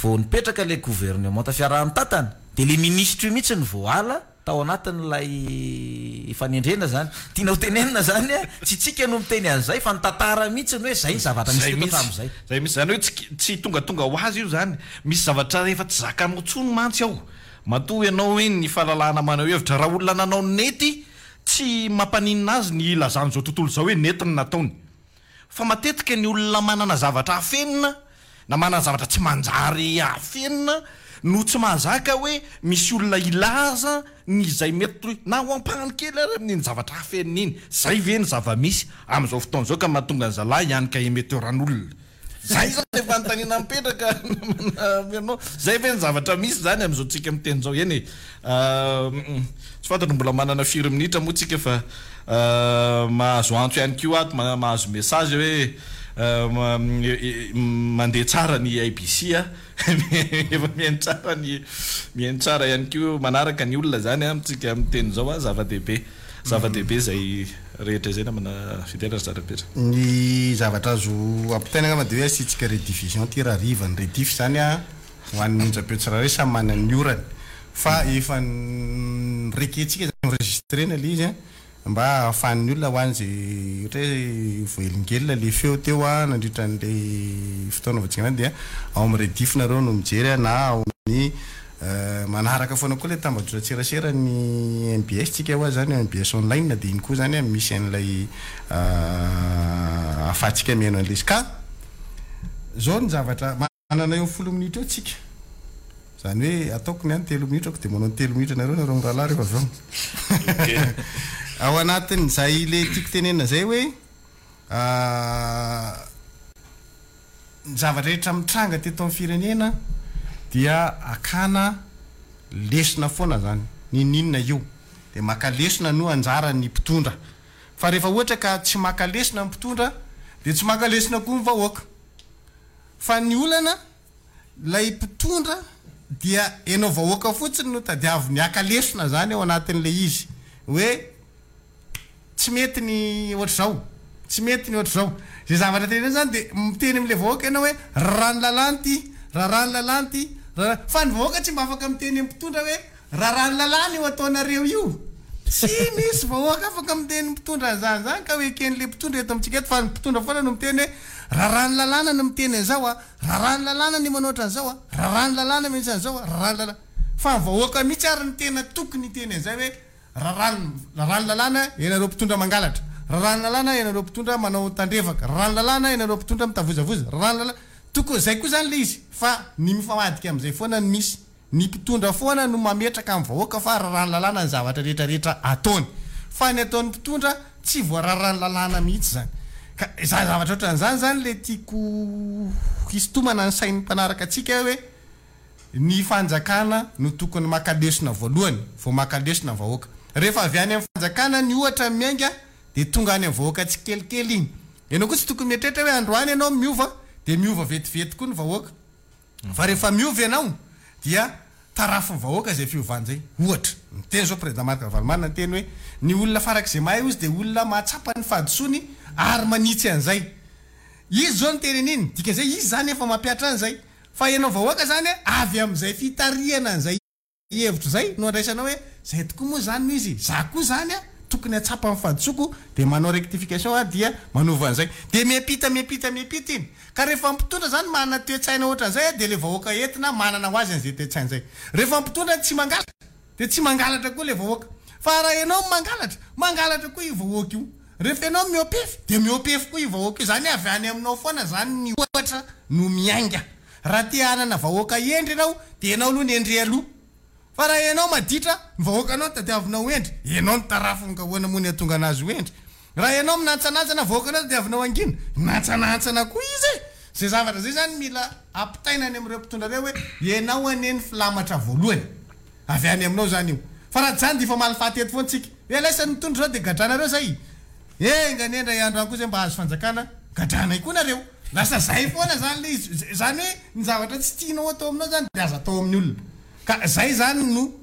vao nipetraka ilay governemanta fiaraha-mitantana dia ilay minisitra io mihitsy no voaala tao anatin'ilay fanendrena izany. Tiana ho tenenina izany a, tsy isika no miteny an'izay fa ny tantara mihitsy no hoe izay ny zavatra nisy Izay teto mihitsy, hatramin'izay. izay mihitsy. Izany hoe tsy tsy tongatonga ho azy io izany. Misy zavatra efa tsy zakanao intsony mantsy ao. Matoa ianao hoe ny fahalalahana maneho hevitra. Raha olona nanao ny nety, Tsy mampaninona azy ny hilazan'izao tontolo izao hoe nety ny nataony. Fa matetika ny olona manana zavatra afenina na manana zavatra tsy manjary afenina no tsy mahazaka hoe misy olona hilaza ny izay mety na ho ampahany kely ary amin'iny zavatra afenina iny. Izay ve ny zava-misy amin'izao fotoana izao ka mahatonga ny zalahy hianika emetteur-an'olona? Zay zany le fanontaniana mipetraka namana Zay ve ny zavatra misy zany amizao tsika miteny zao? Eny e, tsy fantatro mbola manana firy minitra moa tsika fa mahazo antso ihany koa ato, mahazo message hoe mandeha tsara ny IBC a, efa mihaino tsara ny mihaino tsara ihany koa manaraka ny olona zany amintsika miteny zao a, zava-dehibe. Zava-dehibe izay rehetra izay namana Fidèle ry Zarapetra. Ny zavatra azo ampitaina angamba dia hoe asiantsika rediffusion ity rahariva. Ny rediff izany ho an'ny onjam-peo tsirairay samy manana ny orany. Fa efa norekentsika izany, enregistrena ilay izy mba ahafahan'ny olona ho an'izay ohatra hoe voahelingelina ilay feo teo nandritra an'ilay fotoana voatsingana dia ao amin'ny rediff nareo no mijery na ao amin'ny Manaraka foana koa ilay tambajotran-tserasera ny mbs tsika hoa zany mbs online dia iny koa zany misy an'ilay ahafahantsika mihaino an'ilay izy ka zao ny zavatra manana eo folo minitra eo tsika zany hoe ataoko ny ahy ny telo minitra ko dia manao ny telo minitra nareo nareo mirahalahy rehefa avy eo ao anatin'izay le tiako tenenina zay hoe Ny zava-drehetra mitranga teto amin'ny firenena dia akana lesona foana zany, n'inon'inona io dia maka lesona no anjaran'ny mpitondra, fa rehefa ohatra ka tsy maka lesona ny mpitondra dia tsy maka lesona koa ny vahoaka, fa ny olana ilay mpitondra. dia enao vahoaka fotsiny no tadiaviny haka lesona zany ao anatin'ilay izy hoe tsy mety ny ohatr'izao, tsy mety ny ohatr'izao. Izay zavatra tenenina zany dia miteny amin'ilay vahoaka ianao hoe raràn'ny lalàna ity, raràn'ny lalàna ity, rarà, fa ny vahoaka tsy mba afaka miteny amin'ny mpitondra hoe raràn'ny lalàna io ataonareo io. Tsy misy vahoaka afaka miteny ny mpitondra an'izany izany ka ho eken'ilay mpitondra eto amintsika eto fa ny mpitondra foana no miteny hoe raràn'ny lalàna ny miteny an'izao a, raràn'ny lalàna ny manao ohatran'izao a, raràn'ny lalàna mihitsy an'izao a, raràn'ny lalàna. Fa ny vahoaka mihitsy ary no tena tokony hiteny an'izay hoe Raràn'ny raràn'ny lalàna ianareo mpitondra mangalatra, raràn'ny lalàna ianareo mpitondra manao tandrevaka, raràn'ny lalàna ianareo mpitondra mitavozavoza, raràn'ny lalàna, tokony izay koa izany ilay izy fa ny mifamadika amin'izay foana no misy, ny mpitondra foana no mametraka amin'ny vahoaka fa raràn'ny lalàna ny zavatra rehetra rehetra ataony, fa ny ataon'ny mpitondra tsy voararàn'ny lalàna mihitsy izany. Ka izany zavatra ohatran'izany izany ilay tiako hisintomana ny sain'ny mpanaraka antsika hoe. Ny fanjakana no tokony maka lesona voalohany vao maka lesona ny vahoaka. Rehefa avy any amin'ny fanjakana ny ohatra miainga dia tonga any amin'ny vahoaka tsikelikely iny. Ianao koa tsy tokony mieritreritra hoe androany ianao miova dia miova vetivety koa ny vahoaka. Fa rehefa miova ianao dia tarafin'ny vahoaka izay fiovana izay. Ohatra, niteny izao Président Marc Ravalomanana niteny hoe ny olona farak'izay mahay hozy dia olona mahatsapa ny fahadisoany ary manitsy an'izay. Izy izao niteny an'iny, dikan'izay izy izany efa mampihatra an'izay. Fa ianao vahoaka zany avy amin'izay fitarihana an'izay hevitra izay no andraisanao hoe zay tokoa moa zany no izy, za koa zany tokony hatsapa ny fahadisoako dia manao rectification aho dia manova an'izay. Dia miampita miampita miampita iny. Ka rehefa mpitondra zany manana toe-tsaina ohatran'izay dia ilay vahoaka entina manana ho azy an'izay toe-tsaina izay. Rehefa mpitondra tsy mangalatra dia tsy mangalatra koa ilay vahoaka. Fa raha ianao no mangalatra, mangalatra koa io vahoaka io. Rehefa ianao mihoa-pefy dia mihoa-pefy koa io vahoaka io. Izany hoe avy any aminao foana izany ny ohatra no miainga. Raha te hanana vahoaka hendry ianao dia ianao aloha no hendry aloha. Fa raha ianao maditra, ny vahoakanao no tadiavinao ho hendry, ianao no tarafiny ka ahoana moa ny hahatonga anazy ho hendry? Raha ianao minantsanantsana, vahoakanao tadiavinao hangina, minantsanantsana koa izy e! Izay zavatra izay izany mila ampitaina any amin'ireo mpitondra ireo hoe ianao anie ny filamatra voalohany. Avy any aminao zany io. Fa raha tsy zany dia hifamaly faty eto foana tsika. Hoe laisany mitondra zao dia gadranareo zay. Enga anie indray andro any koa zay mba hahazo fanjakana, gadranay koa nareo. Lasa zay foana zany le izy. Zany hoe ny zavatra tsy tianao atao aminao zany dia aza atao amin'ny olona. Ka zay zany no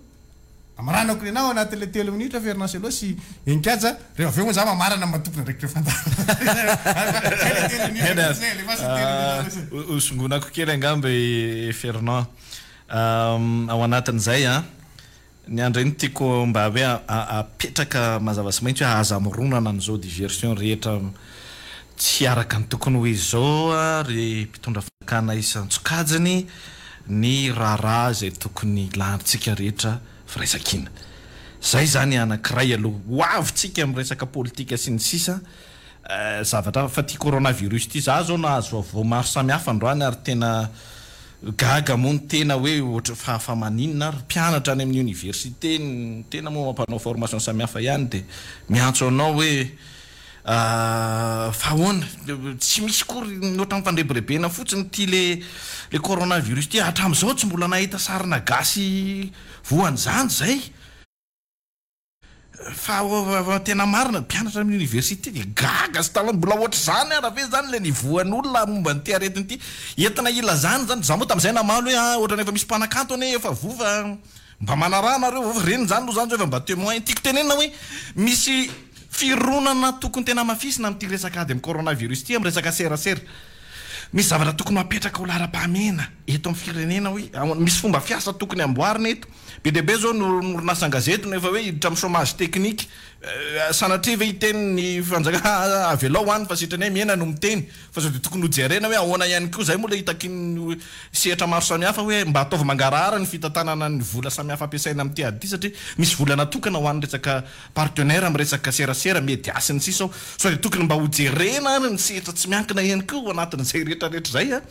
amaranako ny anah ao anatin'ilay telo minitra Fernand Cello sy Heninkaja. Rehefa avy eo moa za mamarana ny maha tompon'andraikitra fandaharana. Zay le telo minitra fotsiny e, alefaso ny telo minitra fotsiny. Hosongonako kely angamba i Fernand. Ao anatin'izay an, ny andro iny tiako mba hoe apetraka mazava sy mahitsy hoe aza mironana amin'izao diversion rehetra tsy araka ny tokony ho izy izao ry mpitondra fanjakana isan-tsokajiny ny raharaha izay tokony hilantsika rehetra firaisankina. Izay izany anankiray aloha. Ho avy tsika amin'ny resaka politika sy ny sisa zavatra hafa fa ity coronavirus ity za zao nahazo vaovao maro samihafa androany ary tena gaga moa ny tena hoe ohatra fa fa maninona ary mpianatra any amin'ny université ny tena moa mampanao formation samihafa ihany dia miantso anao hoe fa ahoana tsy misy kory ny ohatran'ny fandrebirebena fotsiny ity le le coronavirus ity hatramin'izao tsy mbola nahita sarina gasy voan'izany zay. Fa tena marina, mpianatra amin'ny université dia gaga sy talanjona, mbola ohatr'izany ara ve zany ilay niveau-n'olona momba an'ity aretina ity? Entina hilazana izany, za moa tamin'izay namaly hoe ah ohatran'ny efa misy mpanakanto anie efa voa fa mba manaraha nareo, ireny izany aloha zany zao efa mba temoin. Tiako tenenina hoe misy fironana tokony tena hamafisina amin'ity resaka ady amin'ny coronavirus ity amin'ny resaka serasera. Misy zavatra tokony ho apetraka ho laharam-pahamehana eto amin'ny firenena hoe misy fomba fiasa tokony hamboarina eto. Be dia be izao ny orinasan-gazety no efa hoe hiditra amin'ny chômage technique. Sanatria ve hiteny ny fanjakana avelao any fa sitrany hoe mihena no miteny. Fa sao dia tokony hojerena hoe ahoana ihany koa. Izay moa ilay hitakian'ny sehatra maro samihafa hoe mba ataovy mangarahara ny fitantanana ny vola samihafa ampiasaina amin'ity ady ity satria misy vola natokana ho an'ny resaka partenaire amin'ny resaka serasera, media sy ny sisa ao. Sao dia tokony mba hojerena ary ny sehatra tsy miankina ihany koa ao anatin'izay rehetra rehetra izay.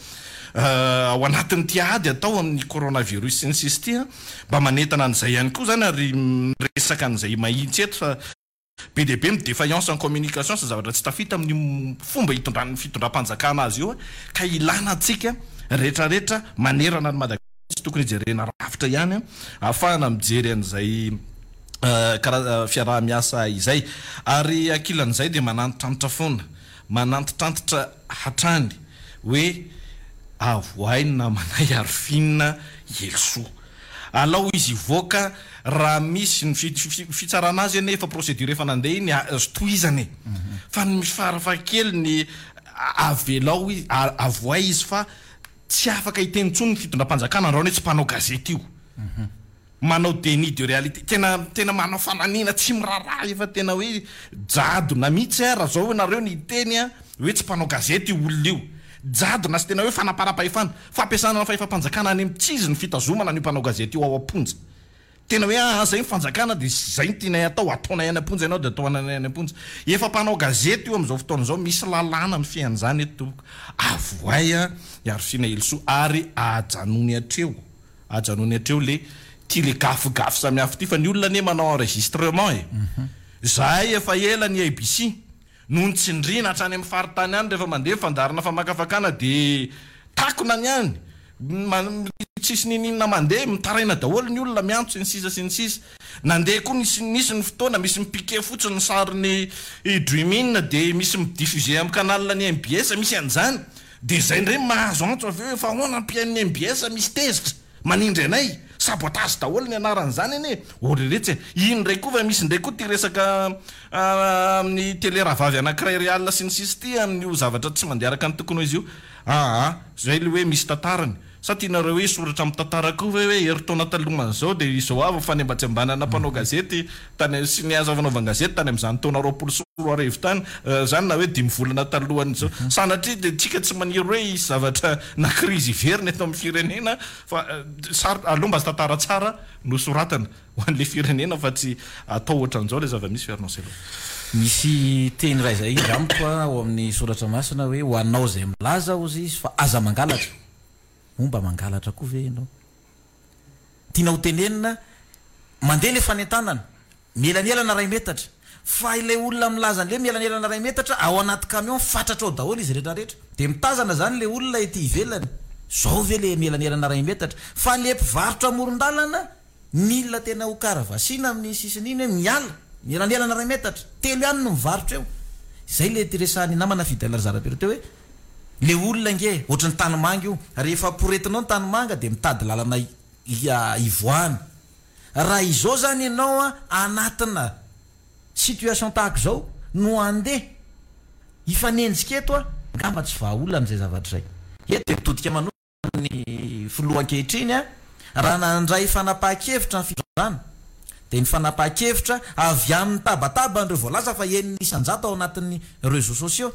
Ao anatin'ity ady atao amin'ny coronavirus sy ny sisa ity an, mba manentana an'izay ihany koa izany ary miresaka an'izay mahitsy eto fa be dia be ny défaillance en communication sy zavatra tsy tafita amin'io fomba itondran'ny fitondram-panjakana azy io ka ilana antsika rehetrarehetra manerana an'i Madagasikara tsy tokony hijerena rafitra ihany ahafahana mijery an'izay karaza fiaraha-miasa izay ary ankilan'izay dia manantitrantitra foana manantitrantitra hatrany hoe. Avoahay ny namanay Arifin Helisoa. Alao izy hivoaka raha misy ny fitsarana azy anie efa procédure efa nandeha iny azo tohizana e. Fa ny farafahakeliny avelao izy, avoahay izy fa tsy afaka hiteny intsony ny fitondram-panjakana androany hoe tsy mpanao gazety io. Manao déni de réalité, tena tena manao fananiana tsy miraharaha efa tena hoe jadona mihitsy a, raha zao nareo ny hiteny a hoe tsy mpanao gazety io olona io, jadona sy tena hoe fanaparam-pahefana, fampiasana ny fahefam-panjakana any amin'ny tsy izy ny fitazomana an'io mpanao gazety io ao am-ponja, tena hoe aa zay ny fanjakana de zay no tianay atao, ataonay any am-ponja ianao de ataonay any am-ponja, efa mpanao gazety io amin'izao fotoana izao, misy lalàna mifehy an'izany eto tompoko, avohay a i Arifina Helisoa ary ajanony hatreo. Ajanony hatreo le ty le gafigafy samihafa ty fa ny olona anie manao enregistrement e! Zahay efa ela ny ABC no nitsindriana hatrany amin'ny faritany any rehefa mandeha fandaharana famakafakana de takona ny any, tsisy niniana mandeha, mitaraina daholo ny olona miantso sy ny sisa sy ny sisa. Nandeha koa nisy nisy ny fotoana misy mi-piquer fotsiny ny sarin'ny Dream In de misy mi-diffuser amin'ny canal ny mbs misy an'izany. Dia izay indray mahazo antso avy eo efa ahoana ampihaino ny mbs misy tezitra manindry anay, sabotage daholo ny anaran'izany anie, ô ry retsy e, iny indray koa fa misy indray koa ity resaka amin'ny télé rahavavy anankiray real sy ny sisa ity amin'io zavatra tsy mandeha araka ny tokony ho izy io, aa zay le hoe misy tantarany. Sa tianareo hoe hisoratra amin'ny tantara koa ve hoe herintaona talohan'izao dia izao avy ny fanembatsembanana mpanao gazety tany sy ny asa fanaovan-gazety tany amin'izany taona 2020 tany izany na hoe dimy volana talohan'izao. Sanatria dia tsika tsy maniry hoe hisy zavatra na krizy hiverina eto amin'ny firenena fa sarotra, aleo mba tantara tsara no soratana ho an'ilay firenena fa tsy atao ohatran'izao ilay zava-misy Fernand Cello. Misy teny iray izay amiko ao amin'ny soratra masina hoe ho anao izay milaza hozy izy fa aza mangalatra. Moa mba mangalatra koa ve ianao? Tiana ho tenenina, mandeha ilay fanentanana, mielanelana iray metatra, fa ilay olona milaza an'ilay mielanelana iray metatra, ao anaty camion fatratra ao daholo izy rehetra rehetra. Dia mitazana izany ilay olona ety ivelany, izao ve ilay mielanelana iray metatra? Fa ilay mpivarotra amoron-dalana, Mila tena ho karavasiana amin'ny sisiny iny hoe miala, mielanelana iray metatra, telo ihany no mivarotra eo. Izay ilay resahan'ny namana Fidèle Razarapero teo hoe le olona ange ohatry ny tanimanga io, rehefa poretinao ny tanimanga dia mitady lalana hivoahana. Raha izao izany ianao anatina situation tahaka izao no handeha hifanenjika eto, angamba tsy vahaolana izay zavatra izay. Eto dia mitodika manokana. ny filoha ankehitriny raha nandray fanapahan-kevitra ny fitondrana dia ny fanapahan-kevitra avy amin'ny tabataban'ireo voalaza fa 6% ao anatin'ny réseaux sociaux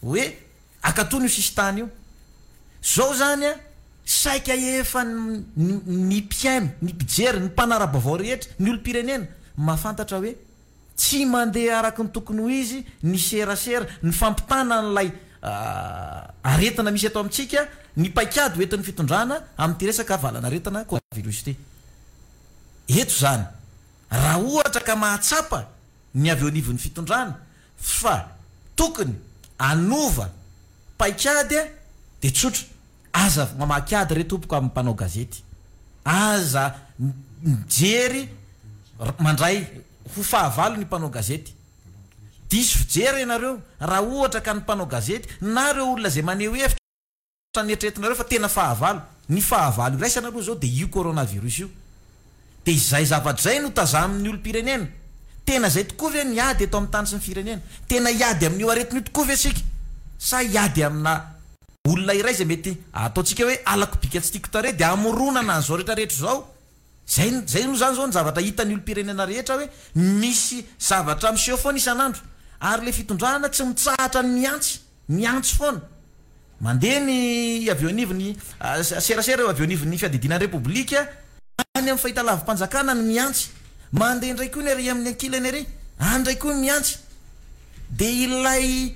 hoe akatony io sisintany io. Zao zany saika efa ny mpihaino, ny mpijery, ny mpanara-baovao rehetra, ny olom-pirenena mahafantatra hoe Tsy mandeha araka ny tokony ho izy ny serasera, ny fampitana an'ilay aretina misy eto amintsika, ny paikady ho entin'ny fitondrana amin'ity resaka valan'aretina coronavirus ity. Eto izany, raha ohatra ka mahatsapa ny avy eo anivon'ny fitondrana fa tokony hanova paikady dia tsotra, Aza mamaky ady re tompoko amin'ny mpanao gazety. Aza mijery mandray ho fahavalo ny mpanao gazety. Diso fijery ianareo raha ohatra ka ny mpanao gazety na ireo olona izay maneho hevitra ny eritreretinareo fa tena fahavalo. Ny fahavalo iraisana aloha izao dia io coronavirus io. Dia izay zavatra izay no tazamin'ny olom-pirenena. Tena izay tokoa ve ny ady eto amin'ny tany sy ny firenena? Tena hiady amin'io aretina io tokoa ve isika? Sa hiady amina olona iray izay mety ataontsika hoe halako bika tsy tiako tarehy dia hamoronana an'izao rehetra rehetra izao? Izay izay moa izany izao ny zavatra hitan'ny olom-pirenena rehetra hoe misy zavatra miseho foana isan'andro. Ary ilay fitondrana tsy mitsahatra ny mihantsy, mihantsy foana. Mandeha ny avy eo anivon'ny serasera eo avy eo anivon'ny fiadidiana ny Repoblika, any amin'ny fahitalavi-panjakana ny mihantsy. Mandeha indray koa ny ary amin'ny ankilany ary, any indray koa ny mihantsy. Dia ilay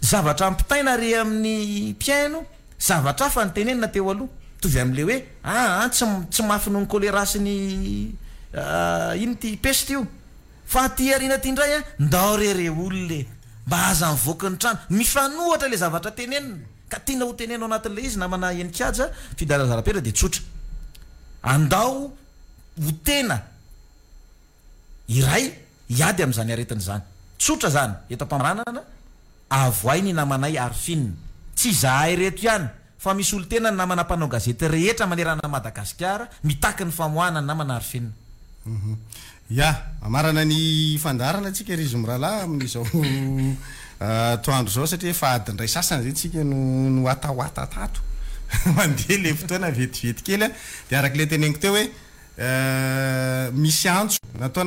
zavatra ampitaina ary amin'ny mpihaino, zavatra hafa no tenenina teo aloha. Mitovy amin'ilay hoe, aa tsy tsy mafy noho ny choléra sy ny inona ity peste io. Fa aty aoriana aty indray an, ndao re re olona e! Mba aza mivoaka ny trano. Mifanohatra ilay zavatra tenenina. Ka tiana ho tenenina ao anatin'ilay izy namana Heninkaja, Fidèle Razarapera dia tsotra. Andao ho tena iray hiady amin'izany aretina izany. Tsotra izany. Eto am-pamaranana, avohay ny namanay Arfin. Tsy izahay ireto ihany. fa misolo tena ny namana mpanao gazety rehetra manerana an'i Madagasikara mitaky ny famoahana ny namana Arifenina. Ya, hamarana ny fandaharana tsika ry izy mirahalahy amin'izao atoandro izao satria efa adiny iray sasany izay tsika no niwatawata tato. Mandeha ilay fotoana vetivety kely dia araka ilay teneniko teo hoe misy antso nataona.